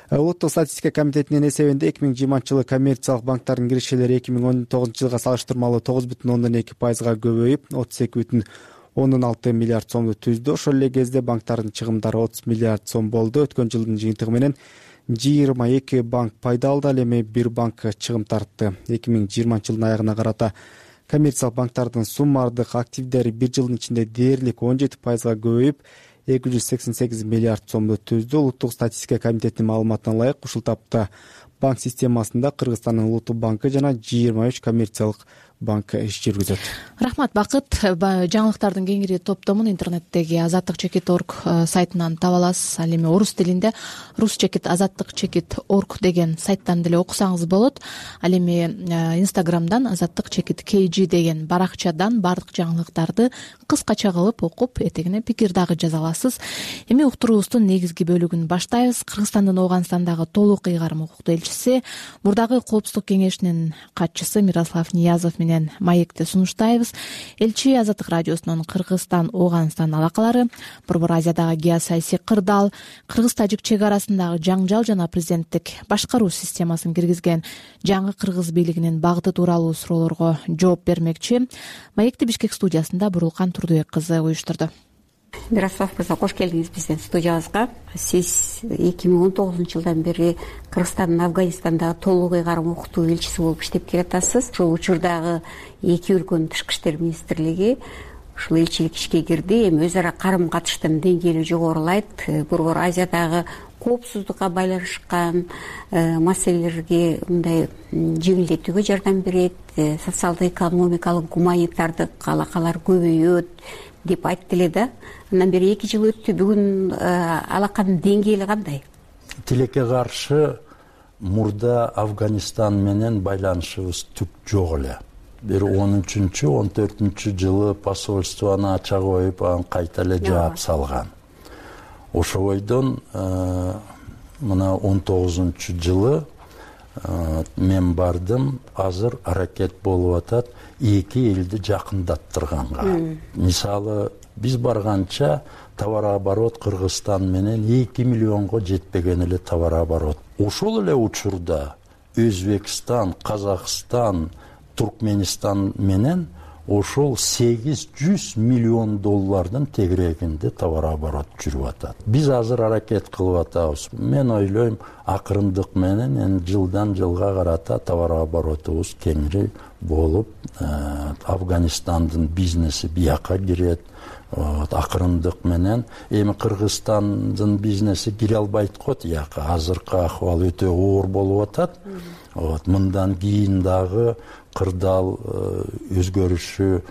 Улуттук статистика комитетинин эсебинде 2020-жылы коммерциялык банктардын киришелери 2019-жылга салыштырмалуу 9,2%га көбөйүп, 32,6 миллиард сомду түздү. Ошол эле кезде банктардын чыгымдары 30 миллиард сом болду. Өткөн жылдын жыйынтыгы менен 22 банк пайда алды, ал эми 1 банк чыгым тартты. 2020-жылдын аягына карата коммерциялык банктардын суммардык активдери бир жылдын ичинде дээрлик 17%га көбөйүп, 288 миллиард сомду түздү. Улуттук статистика комитетинин маалыматына ылайык, ушул тапта банк системасында Кыргызстандын улуттук банкы жана 23 коммерциялык банк иш жүргүзөт. Рахмат, Бакыт. Жаңылыктардын кеңири топтомун интернеттеги azattik.org сайтынан таба аласыз. Ал эми орус тилинде rusчекит.azattik.org деген сайттан деле окусаңыз болот. Ал эми Instagramдан azattik.kg деген баракчадан бардык жаңылыктарды кыскача кылып окуп, этегине пикир дагы жаза аласыз. Эми уктуруубуздун негизги бөлүгүн баштайбыз. Кыргызстандын Ооганстандагы толук ыйгарым укуктуу элчиси, мурдагы Коопсуздук кеңешинин катчысы Мирослав Ниязов менен маекти сунуштайбыз. Элчи Азаттык радиосунун Кыргызстан Ооганстан алакалары, Борбор Азиядагы геосаясий кырдаал, кыргыз-тажик чек арасындагы жаңжал жана президенттик башкаруу системасын киргизген жаңы кыргыз бийлигинин багыты тууралуу суроолорго жооп бермекчи. Маекти Бишкек студиясында Бурулкан Турдубек кызы уюштурду. Мирослав мырза, кош келдиңиз биздин студиябызга. Сиз 2019-жылдан бери Кыргызстандын Афганистандагы толук ыйгарым укуктуу элчиси болуп иштеп келатасыз. Ошол учурдагы эки өлкөнүн тышкы иштер министрлиги ушул элчилик ишке кирди. Эми өз ара карым катыштын деңгээли жогорулайт. Борбор Азиядагы коопсуздукка байланышкан маселелерге мындай жеңилдетүүгө жардам берет, социалдык, экономикалык, гуманитардык алакалар көбөйөт деп айтты эле да. Андан бери 2 жыл өттү. Бүгүн алаканын деңгээли кандай? Тилекке каршы мурда Афганистан менен байланышыбыз түк жок эле. Бир 13-14 жылы посольствону ача коюп, анан кайта эле жаап салган. Ошойдон мына 19-жылы мен бардым. Азыр аракет болуп атат эки элди жакындаттырганга. Мисалы, биз барганча товар оборот Кыргызстан менен 2 миллионго жетпеген эле товар оборот. Ошол эле учурда Өзбекстан, Казакстан, Туркменистан менен ошол 800 миллион доллардын тегерегинде товар оборот жүрүп атат. Биз азыр аракет кылып атабыз. Мен ойлойм, акырындык менен жылдан жылга карата товар оборотубуз кеңири болуп, Афганистандын бизнеси бияка кирет. Акырындык менен эми Кыргызстандын бизнеси кире албайт го тияка. Азыркы акыбал өтө оор болуп атат. Мындан кийин дагы кырдаал өзгөрүшү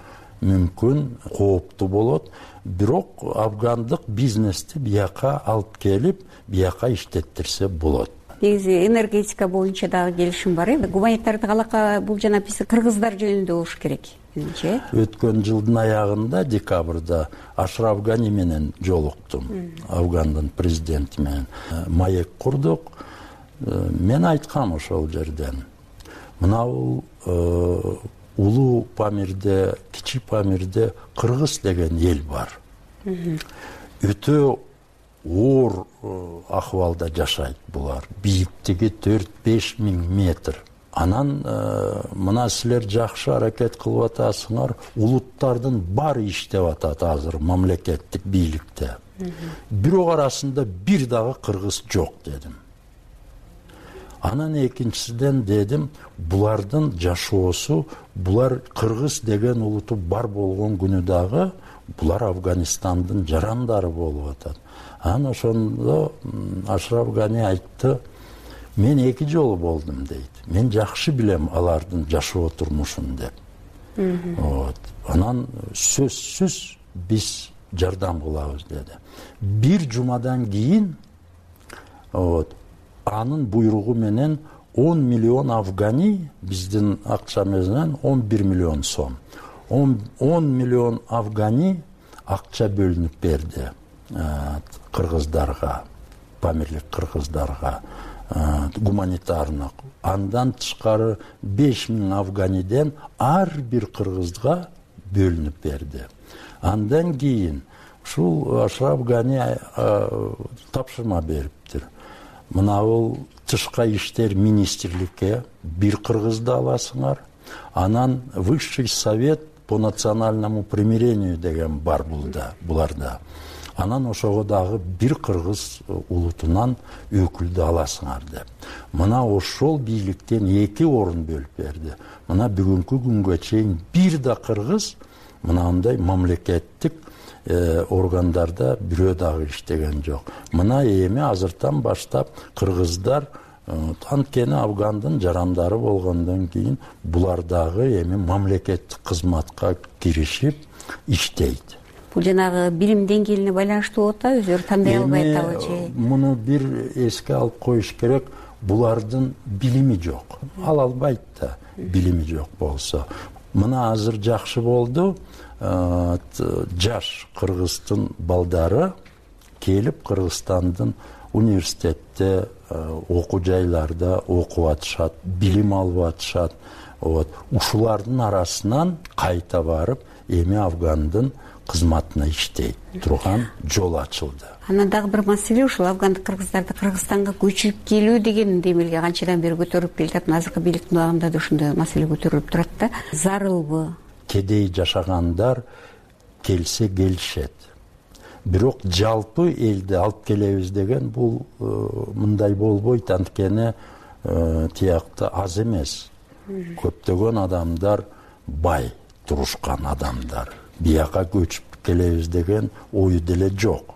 мүмкүн, кооптуу болот. Бирок афгандык бизнести бияка алып келип, бияка иштеттирсе болот. Негизи энергетика боюнча дагы келишим бар. Гуманитардык алака бул жана биз кыргыздар жөнүндө болуш керек. Өткөн жылдын аягында, декабрда Ашраф Гани менен жолуктум. Афгандын президенти менен маек курдук. Мен айткам ошол жерден. Мына улуу Памирде, Кичи Памирде кыргыз деген эл бар. Өтө оор акыбалда жашайт булар. Бийиктиги 4-5 миң метр. Анан мына силер жакшы аракет кылып атасыңар. Улуттардын баары иштеп атат азыр мамлекеттик бийликте. Бирок арасында бир дагы кыргыз жок дедим. Анан экинчисиден дедим, булардын жашоосу, булар кыргыз деген улуту бар болгон күнү дагы булар Афганистандын жарандары болуп атат. Анан ошондо Ашраф Гани айтты, мен 2 жолу болдум дейт. Мен жакшы билем алардын жашоо турмушун деп. Анан сөзсүз биз жардам кылабыз деди. Бир жумадан кийин анын буйругу менен 10 миллион афгани биздин акчамыз менен 11 миллион сом. 10 миллион афгани акча бөлүнүп берди кыргыздарга, памирлик кыргыздарга гуманитарный. Андан тышкары 5000 афганиден ар бир кыргызга бөлүнүп берди. Андан кийин ушул Ашраф Гани тапшырма бериптир. Мынабул тышкы иштер министрликке бир кыргызды аласыңар, анан Высший совет по национальному примирению деген бар буларда. Анан ошого дагы бир кыргыз улутунан өкүлдү аласыңар деп. Мына ошол бийликтен 2 орун бөлүп берди. Мына бүгүнкү күнгө чейин бир да кыргыз мынандай мамлекеттик органдарда бирөө дагы иштеген жок. Мына эми азыртан баштап кыргыздар анткени Афгандын жарандары болгондон кийин булар дагы эми мамлекеттик кызматка киришип иштейт. Бул жанагы билим деңгээлине байланыштуу болот да, өздөрү тандай албайт абы же? Муну бир эске алып коюш керек, булардын билими жок. Албайт да, билими жок болсо. Мына азыр жакшы болду. Жаш кыргыздын балдары келип Кыргызстандын университетте, окуу жайларда окуп атышат, билим алып атышат. Ушулардын арасынан кайта барып, эми Афгандын кызматына иштейт турган жол ачылды. Анан дагы бир маселе ушул афгандык кыргыздарды Кыргызстанга көчүп келүү деген демилге канчадан бери көтөрүлүп келатат. Азыркы бийликтин убагында да ушундай маселе көтөрүлүп турат да. Зарылбы? Кедей жашагандар келсе келишет. Бирок жалпы элди алып келебиз деген бул мындай болбойт, анткени тиякта аз эмес. Көптөгөн адамдар бай турушкан адамдар. Бияка көчүп келебиз деген ою деле жок.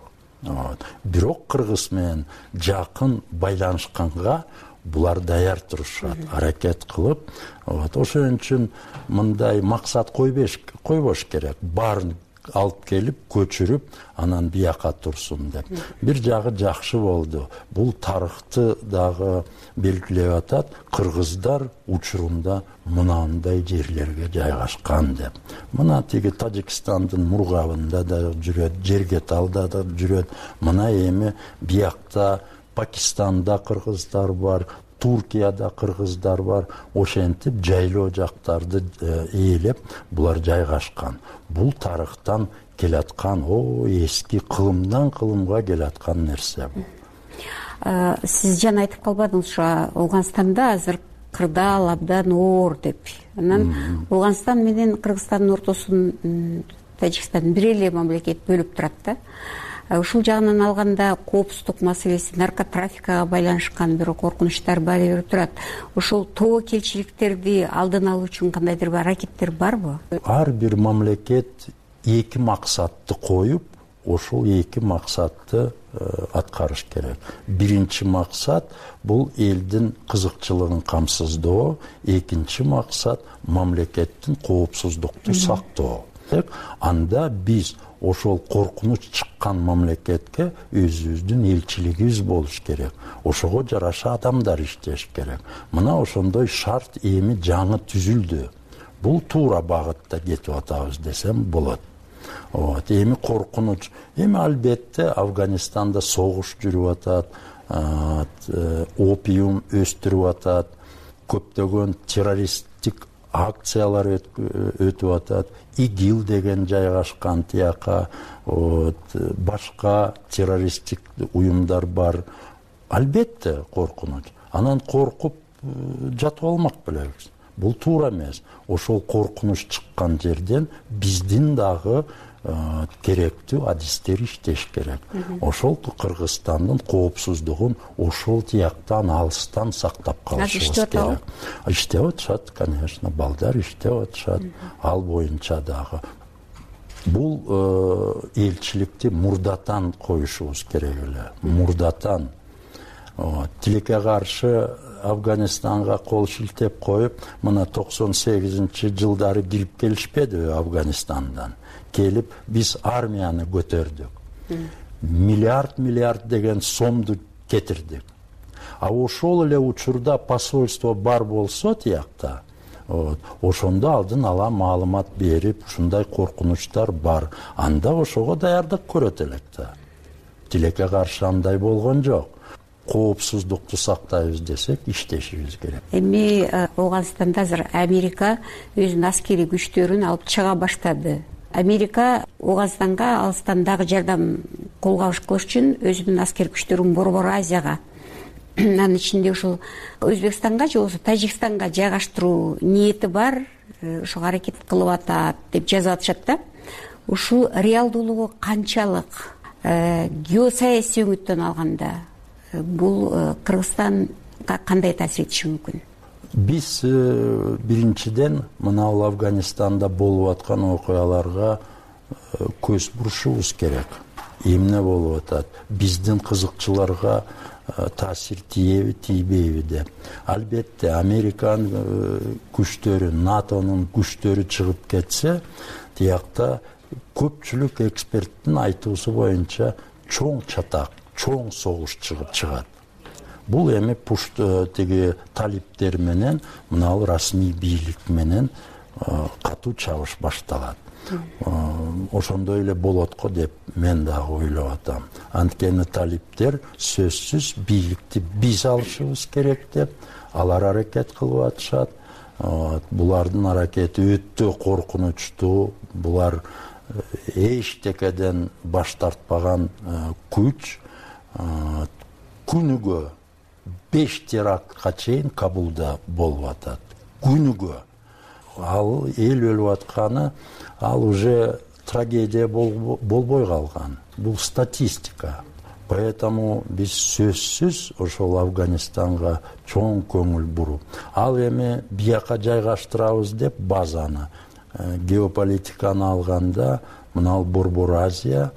Бирок кыргыз менен жакын байланышканга булар даяр турушат, аракет кылып. Ошон үчүн мындай максат койбош керек. Баарын алып келип, көчүрүп, анан бияка турсун деп. Бир жагы жакшы болду. Бул тарыхты дагы белгилеп атат. Кыргыздар учурунда мынандай жерлерге жайгашкан деп. Мына тиги Тажикстандын мургабында да жүрөт, Жергеталда да жүрөт. Мына эми биякта Пакистанда кыргыздар бар, Туркияда кыргыздар бар. Ошентип жайлоо жактарды ээлеп булар жайгашкан. Бул тарыхтан келаткан, эски кылымдан кылымга келаткан нерсе бул. Сиз жана айтып калбадыңыз, ушу Ауганстанда азыр кырдаал абдан оор деп. Анан Ауганстан менен Кыргызстандын ортосун Тажикстан бир эле мамлекет бөлүп турат да. Ушул жагынан алганда коопсуздук маселеси, наркотрафикага байланышкан бир коркунучтар баары берип турат. Ушул тобокелчиликтерди алдын алуу үчүн кандайдыр бир аракеттер барбы? Ар бир мамлекет 2 максатты коюп, ошол 2 максатты аткарыш керек. Биринчи максат бул элдин кызыкчылыгын камсыздоо, экинчи максат мамлекеттин коопсуздукту сактоо. Анда биз ошол коркунуч чыккан мамлекетке өзүбүздүн элчилигибиз болуш керек. Ошого жараша адамдар иштеш керек. Мына ошондой шарт эми жаңы түзүлдү. Бул туура багытта кетип атабыз десем болот. Эми коркунуч. Эми албетте Афганистанда согуш жүрүп атат, опиум өстүрүп атат, көптөгөн террористтик акциялар өтүп атат. ИГИЛ деген жайгашкан тияка, башка террористтик уюмдар бар. Албетте коркунуч. Анан коркуп жатып алмак белебиз. Бул туура эмес. Ошол коркунуч чыккан жерден биздин дагы керектүү адистер иштеш керек. Ошол Кыргызстандын коопсуздугун ошол тияктан алыстан сактап калышыбыз керек. Иштеп атышат, конечно, балдар иштеп атышат, ал боюнча дагы. Бул элчиликти мурдатан коюшубуз керек эле. Мурдатан. Тилекке каршы Афганистанга кол шилтеп коюп, мына 98-жылдары кирип келишпедиби Афганистандан? Келип биз армияны көтөрдүк. Миллиард деген сомду кетирдик. ошол эле учурда посольство бар болсо тиякта, ошондо алдын ала маалымат берип, ушундай коркунучтар бар, анда ошого даярдык көрөт элек да. Тилекке каршы андай болгон жок. Коопсуздукту сактайбыз десек, иштешибиз керек. Эми Ооганстанда азыр Америка өзүнүн аскерий күчтөрүн алып чыга баштады. Америка Ооганстанга алыстан дагы жардам колго кылыш үчүн өзүнүн аскерий күчтөрүн Борбор Азияга, анын ичинде ушул Өзбекстанга же болбосо Тажикстанга жайгаштыруу ниети бар, ошого аракет кылып атат деп жазып атышат да. Ушул реалдуулугу канчалык? Геосаясий өңүттөн алганда бул Кыргызстанга кандай таасир этиши мүмкүн? Биз биринчиден мына Афганистанда болуп аткан окуяларга көз бурушубуз керек. Эмне болуп атат? Биздин кызыкчыларга таасир тийеби, тийбейби деп. Албетте Американын күчтөрү, НАТОнун күчтөрү чыгып кетсе, тиякта көпчүлүк эксперттин айтуусу боюнча чоң чатак, чоң согуш чыгат. Бул эми тиги талиптер менен, мына расмий бийлик менен катуу чабыш башталат. Ошондой эле болот го деп мен дагы ойлоп атам. Анткени талиптер сөзсүз бийликти биз алышыбыз керек деп алар аракет кылып атышат. Булардын аракети өтө коркунучтуу. Булар эчтекеден баш тартпаган күч. Күнүгө 5 терактка чейин Кабулда болуп атат. Күнүгө. Ал эл өлүп атканы, ал уже трагедия болбой калган. Бул статистика. Поэтому биз сөзсүз ошол Афганистанга чоң көңүл буруп, ал эми бияка жайгаштырабыз деп базаны, геополитиканы алганда, мына Борбор Азия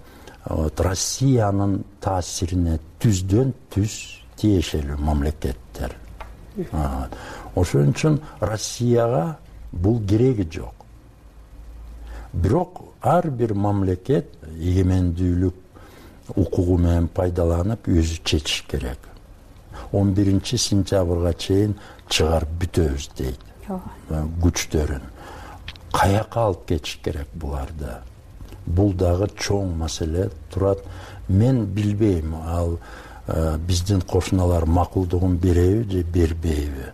Россиянын таасирине түздөн түз тиешелүү мамлекеттер. Ошон үчүн Россияга бул кереги жок. Бирок ар бир мамлекет эгемендүүлүк укугу менен пайдаланып өзү чечиш керек. 11 сентябрга чейин чыгарып бүтөбүз дейт. Күчтөрүн каяка алып кетиш керек буларды. Бул дагы чоң маселе турат. Мен билбейм, ал биздин кошуналар макулдугун береби же бербейби.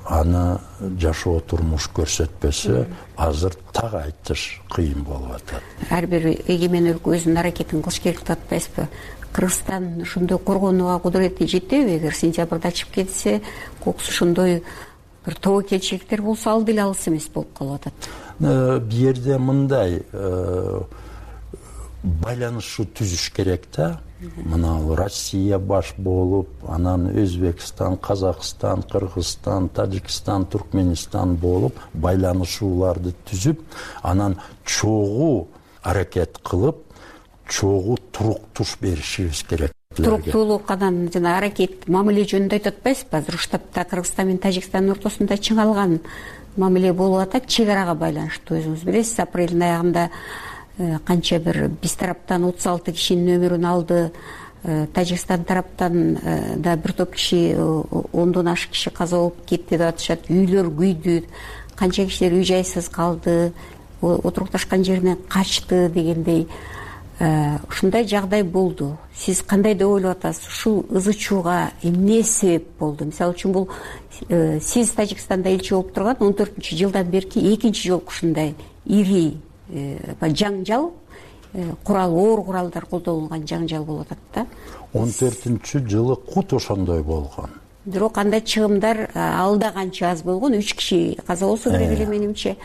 Аны жашоо турмуш көрсөтпөсө, азыр так айтыш кыйын болуп атат. Ар бир эгемен өлкө өзүнүн аракетин кылыш керек деп атпайсызбы? Кыргызстан ушундай коргонууга кудурети жетеби? Эгер сентябрда ачып кетсе, кокусу ошондой бир тобокелчиликтер болсо, ал деле алыс эмес болуп калып атат. Бу жерде мындай байланышуу түзүш керек да. Мына Россия баш болуп, анан Өзбекстан, Казакстан, Кыргызстан, Тажикстан, Туркменистан болуп, байланышууларды түзүп, анан чогуу аракет кылып, чогуу туруктуш беришибиз керек. Туруктуулук анан жана аракет мамиле жөнүндө айтып атпайсызбы? Азыр штабта Кыргызстан менен Тажикстандын ортосунда чыңалган мамиле болуп атат, чек арага байланыштуу. Өзүңүз билесиз, апрелдин аягында канча бир биз тараптан 36 кишинин өмүрүн алды, Тажикстан тараптан да бир топ киши, 10дон ашык киши каза болуп кетти деп атышат. Үйлөр күйдү, канча кишилер үй жайсыз калды, отурукташкан жеринен качты дегендей ушундай жагдай болду. Сиз кандай деп ойлоп атасыз? Ушул ызы чууга эмне себеп болду? Мисалы үчүн бул сиз Тажикстанда элчи болуп турган 14-жылдан берки экинчи жолку ушундай ири жаңжал, оор куралдар колдонулган жаңжал болуп атат да. 14-жылы кут ошондой болгон. Бирок андай чыгымдар алда канча аз болгон, 3 киши каза болсо керек эле менимче.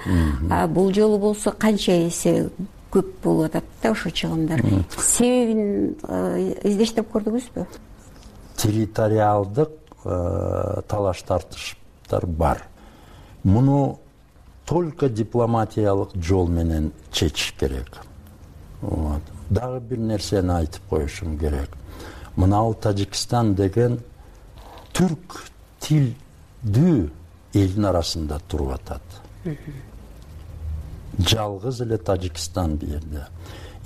Бул жолу болсо канча эсе көп болуп атат да ошо чыгымдар. Себебин издештирип көрдүңүзбү? Территориалдык талаш тартыштар бар. Муну только дипломатиялык жол менен чечиш керек. Дагы бир нерсени айтып коюшум керек. Мына Тажикстан деген түрк тилдүү элдин арасында туруп атат. Жалгыз эле Тажикстан бу жерде.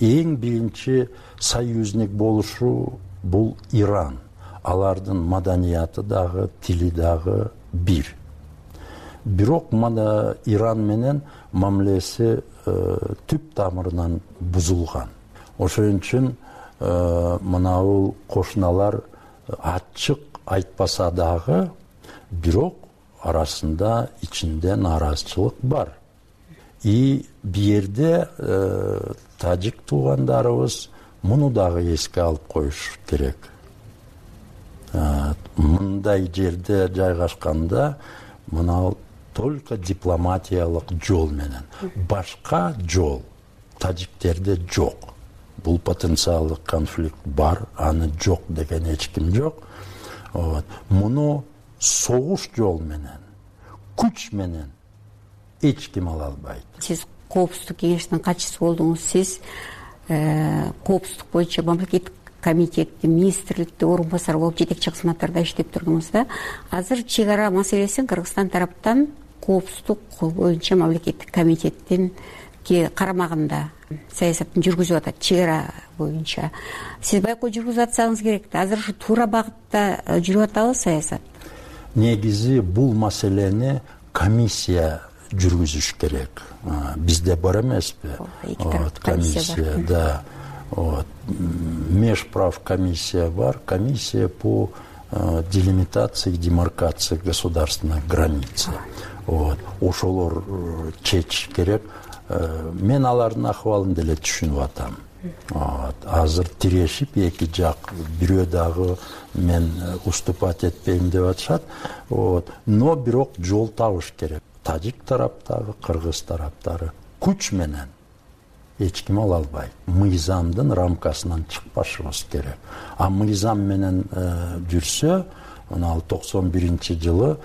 Эң биринчи союзник болушу бул Иран. алардын маданияты дагы, тили дагы бир. Бирок мына Иран менен мамилеси түп тамырынан бузулган. Ошон үчүн мынабул кошуналар ачык айтпаса дагы, бирок арасында ичинде нааразычылык бар. И бу жерде тажик туугандарыбыз муну дагы эске алып коюш керек. Мындай жерде жайгашканда мына только дипломатиялык жол менен, башка жол тажиктерде жок. Бул потенциалдык конфликт бар, аны жок деген эч ким жок. Муну согуш жол менен, күч менен эч ким ала албайт. Сиз коопсуздук кеңешинин катчысы болдуңуз. Сиз коопсуздук боюнча мамлекеттик комитетте, министрликте орун басары болуп жетекчи кызматтарда иштеп турдуңуз да. Азыр чек ара маселесин Кыргызстан тараптан коопсуздук боюнча мамлекеттик комитеттин карамагында саясатын жүргүзүп атат, чек ара боюнча. Сиз байкоо жүргүзүп атсаңыз керек да. Азыр ушу туура багытта жүрүп атабы саясат? Негизи бул маселени комиссия жүргүзүш керек. Бизде бар эмеспи? Комиссия, да. Межправ комиссия бар, комиссия по делимитации и демаркации государственной границы. Ошолор чечиш керек. Мен алардын акыбалын деле түшүнүп атам. Азыр тирешип эки жак бирөө дагы мен уступать этпейм деп атышат. Но бирок жол табыш керек. Тажик тараптагы, кыргыз тараптары күч менен эч ким ала албайт. Мыйзамдын рамкасынан чыкпашыбыз керек. А мыйзам менен жүрсө, 91-жылы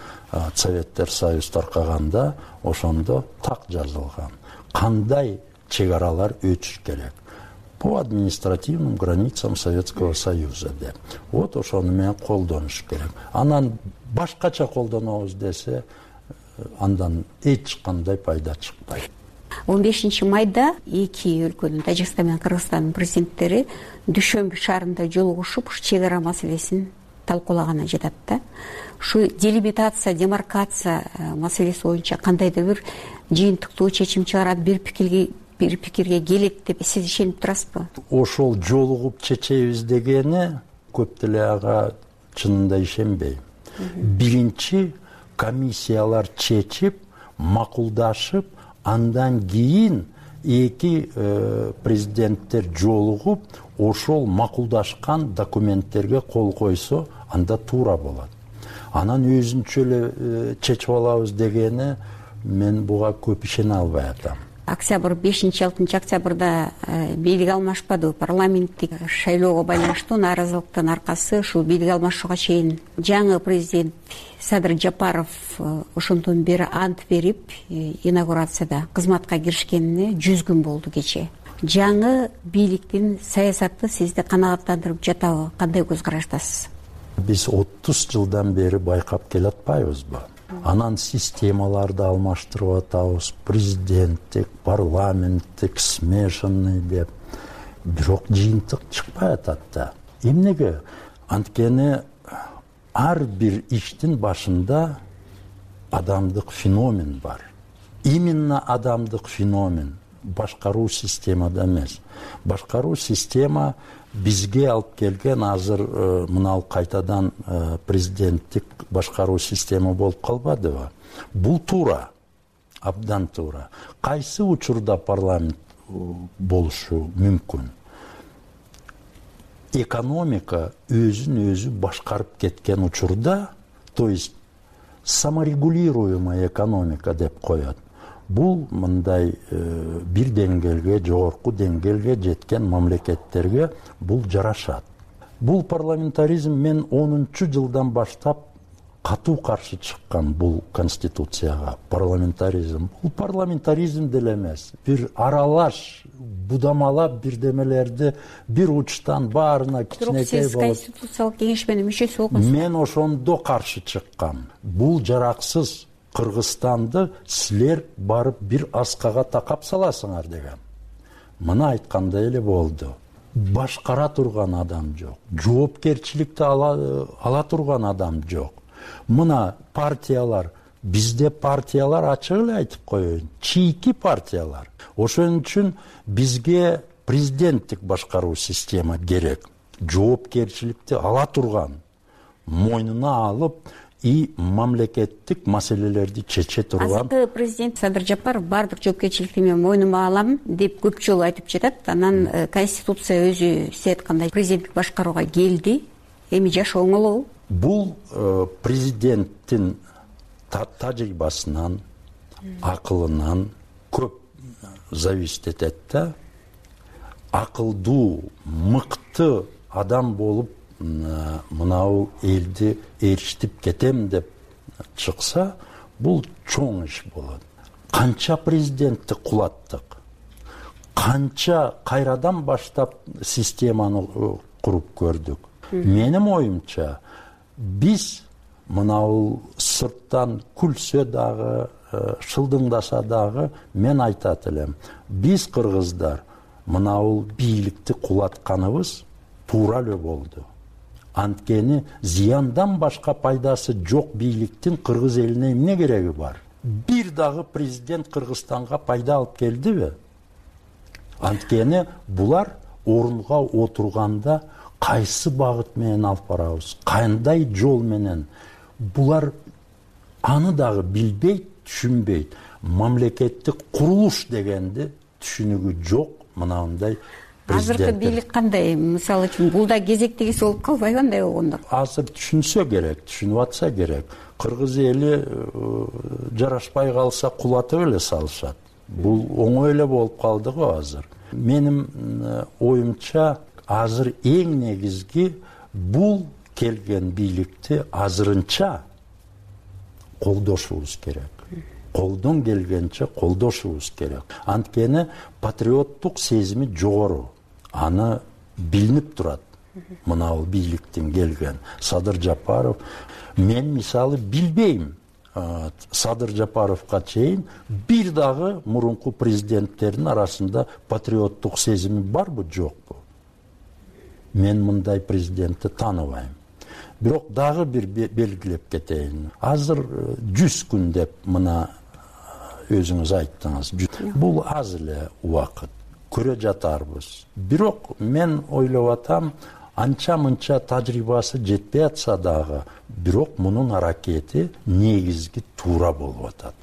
Советтер Союз таркаганда ошондо так жазылган. Кандай чек аралар өтүш керек? По административным границам Советского Союза деп. Ошону менен колдонуш керек. Анан башкача колдонобуз десе, андан эч кандай пайда чыкпайт. 15 майда эки өлкөнүн, Тажикстан менен Кыргызстандын президенттери Дүйшөмбү шаарында жолугушуп, чек ара маселесин талкуулаганы жатат да. Ушу делимитация, демаркация маселеси боюнча кандайдыр бир жыйынтыктуу чечим чыгарат, бир пикирге келет деп сиз ишенип турасызбы? Ошол жолугуп чечебиз дегени көп деле ага чынында ишенбейм. Биринчи комиссиялар чечип, макулдашып, андан кийин эки президенттер жолугуп, ошол макулдашкан документтерге кол койсо, анда туура болот. Анан өзүнчө эле чечип алабыз дегени мен буга көп ишене албай атам. Октябрь 5-6 октябрда бийлик алмашпады. Парламенттик шайлоого байланыштуу нааразылыктын аркасы ушул бийлик алмашууга чейин жаңы президент Садыр Жапаров ошондон бери ант берип, инаугурацияда кызматка киришкенине 100 күн болду кече. Жаңы бийликтин саясаты сизди канааттандырып жатабы? Кандай көз караштасыз? Биз 30 жылдан бери байкап келатпайбызбы? Анан системаларды алмаштырып атабыз, президенттик, парламенттик, смешанный деп. Бирок жыйынтык чыкпай атат да. Эмнеге? Анткени ар бир иштин башында адамдык феномен бар. Именно адамдык феномен башкаруу системада эмес. Башкаруу система бизге алып келген азыр мынау кайтадан президенттик башкаруу система болуп калбадыбы? Бул туура, абдан туура. Кайсы учурда парламент болушу мүмкүн? Экономика өзүн өзү башкарып кеткен учурда, то есть саморегулируемая экономика деп коет. Бул мындай бир деңгээлге, жогорку деңгээлге жеткен мамлекеттерге бул жарашат. Бул парламентаризм мен 10-жылдан баштап катуу каршы чыккан бул конституцияга. Парламентаризм. Бул парламентаризм деле эмес. Бир аралаш, будамалап бирдемелерди бир учтан баарына кичинекей болуп. Сиз конституциялык кеңеш менен мүчөсү болдуңуз. Мен ошондо каршы чыккам. Бул жараксыз. Кыргызстанды силер барып бир аскага такап саласыңар деген. Мына айткандай эле болду. башкара турган адам жок, жоопкерчиликти ала турган адам жок. Мына партиялар, бизде партиялар ачык эле айтып коеюн, чийки партиялар. Ошон үчүн бизге президенттик башкаруу система керек. Жоопкерчиликти ала турган, мойнуна алып и мамлекеттик маселелерди чече турган. Азыркы президент Садыр Жапаров баардык жоопкерчиликти мен мойнума алам деп көп жолу айтып жатат. Анан Конституция өзү сиз айткандай президенттик башкарууга келди. Эми жашоо оңолобу? Бул президенттин тажрыйбасынан, акылынан көп зависит этет да. Акылдуу, мыкты адам болуп мынау элди ээрчитип кетем деп чыкса, бул чоң иш болот. Канча президентти кулаттык, канча кайрадан баштап системаны куруп көрдүк. Менин оюмча, биз мынау сырттан күлсө дагы, шылдыңдаса дагы, мен айтат элем, биз кыргыздар мынау бийликти кулатканыбыз туура эле болду. Анткени зыяндан башка пайдасы жок бийликтин кыргыз элине эмне кереги бар? Бир дагы президент Кыргызстанга пайда алып келдиби? Анткени булар орунга отурганда кайсы багыт менен алып барабыз, кандай жол менен, булар аны дагы билбейт, түшүнбейт. Мамлекеттик курулуш дегенди түшүнүгү жок мынандай. Азыркы бийлик кандай? Мисалы үчүн бул да кезектегиси болуп калбайбы кандай болгондо? Азыр түшүнсө керек, түшүнүп атса керек. Кыргыз эли жарашпай калса кулатып эле салышат. Бул оңой эле болуп калды го азыр. Менин оюмча, азыр эң негизги бул келген бийликти азырынча колдошубуз керек. Колдон келгенче колдошубуз керек. Анткени патриоттук сезими жогору. Аны билинип турат. Мынау бийликтин келген Садыр Жапаров. Мен мисалы билбейм. Садыр Жапаровга чейин бир дагы мурунку президенттердин арасында патриоттук сезими барбы, жокпу? Мен мындай президентти тааныбайм. Бирок дагы бир белгилеп кетейин. Азыр 100 күн деп мына өзүңүз айттыңыз. Бул аз эле убакыт. Көрө жатарбыз. Бирок мен ойлоп атам, анча-мынча тажрыйбасы жетпей атса дагы, бирок мунун аракети негизги туура болуп атат.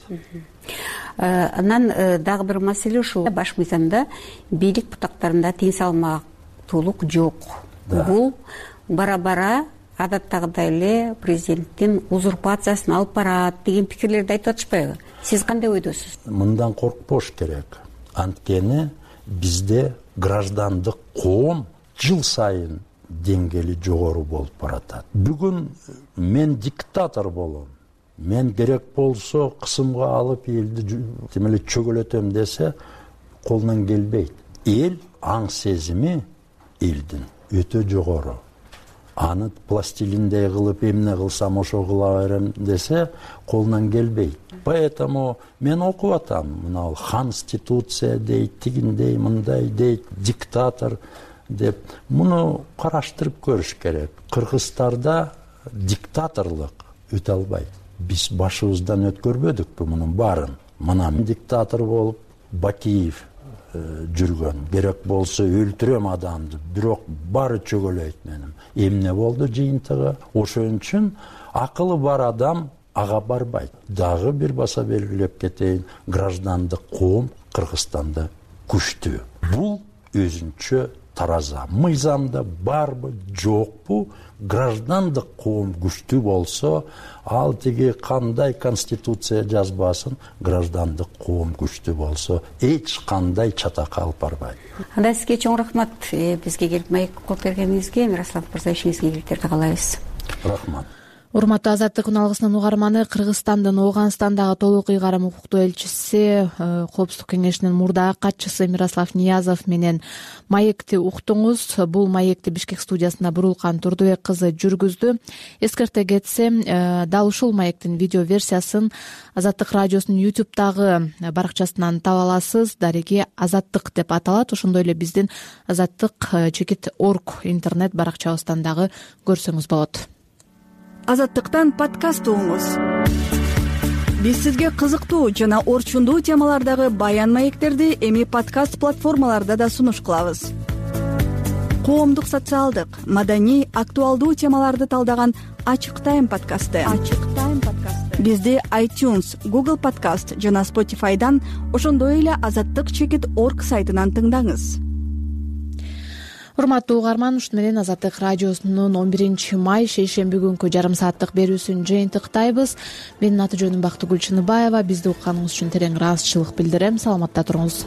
Анан дагы бир маселе ушул. Баш мыйзамда бийлик бутактарында тең салмактуулук жок. Бул бара-бара адаттагыдай эле президенттин узурпациясын алып барат деген пикирлерди айтып атышпайбы? Сиз кандай ойдосуз? Мындан коркпош керек. Анткени бизде граждандык коом жыл сайын деңгээли жогору болуп баратат. Бүгүн мен диктатор болом. Мен керек болсо кысымга алып элди темеле чөгөлөтөм десе, колунан келбейт. Эл аң сезими элдин өтө жогору. Аны пластилиндей кылып эмне кылсам ошо кыла берем десе, колунан келбейт. Поэтому мен окуп атам, мына конституция дейт, тигиндей, мындай дейт, диктатор деп. Муну караштырып көрүш керек. Кыргызстарда диктаторлук өтө албайт. Биз башыбыздан өткөрбөдүкпү мунун баарын? Мына диктатор болуп Бакиев жүргөн. Керек болсо өлтүрөм адамды, бирок баары чөгөлөйт менин. Эмне болду жыйынтыгы? Ошон үчүн акылы бар адам ага барбайт. Дагы бир баса белгилеп кетейин, граждандык коом Кыргызстанда күчтүү. Бул өзүнчө тараза. Мыйзамда барбы, жокпу? Граждандык коом күчтүү болсо, ал тиги кандай конституция жазбасын, граждандык коом күчтүү болсо, эч кандай чатакка алып барбайт. Анда сизге чоң рахмат. Бизге келип маек коюп бергениңизге, Мирослав мырза, ишиңизге ийгиликтерди каалайбыз. Рахмат. Урматтуу Азаттык күн алгысынын угарманы, Кыргызстандын Ооганстандагы толук ыйгарым укуктуу элчиси, Коопсуздук кеңешинин мурдагы катчысы Мирослав Ниязов менен маекти уктуңуз. Бул маекти Бишкек студиясында Бурулкан Турдубек кызы жүргүздү. Эскерте кетсем, дал ушул маектин видео версиясын Азаттык радиосунун YouTube'дагы баракчасынан таба аласыз. Дареги Азаттык деп аталат. Ошондой эле биздин azattik.org интернет баракчабыздан дагы көрсөңүз болот. Азаттыктан подкаст угуңуз. Биз сизге кызыктуу жана орчундуу темалардагы баян маектерди эми подкаст платформаларда да сунуш кылабыз. Коомдук, социалдык, маданий, актуалдуу темаларды талдаган Ачык Тайм подкасты. Бизди iTunes, Google Podcast жана Spotify'дан, ошондой эле azattik.org сайтынан тыңдаңыз. Урматтуу угарман, ушуну менен Азаттык радиосунун 11 май шейшемби күнкү жарым сааттык берүүсүн жыйынтыктайбыз. Менин аты жөнүм Бактыгүл Чыныбаева. Бизди укканыңыз үчүн терең ыраазычылык билдирем. Саламатта туруңуз.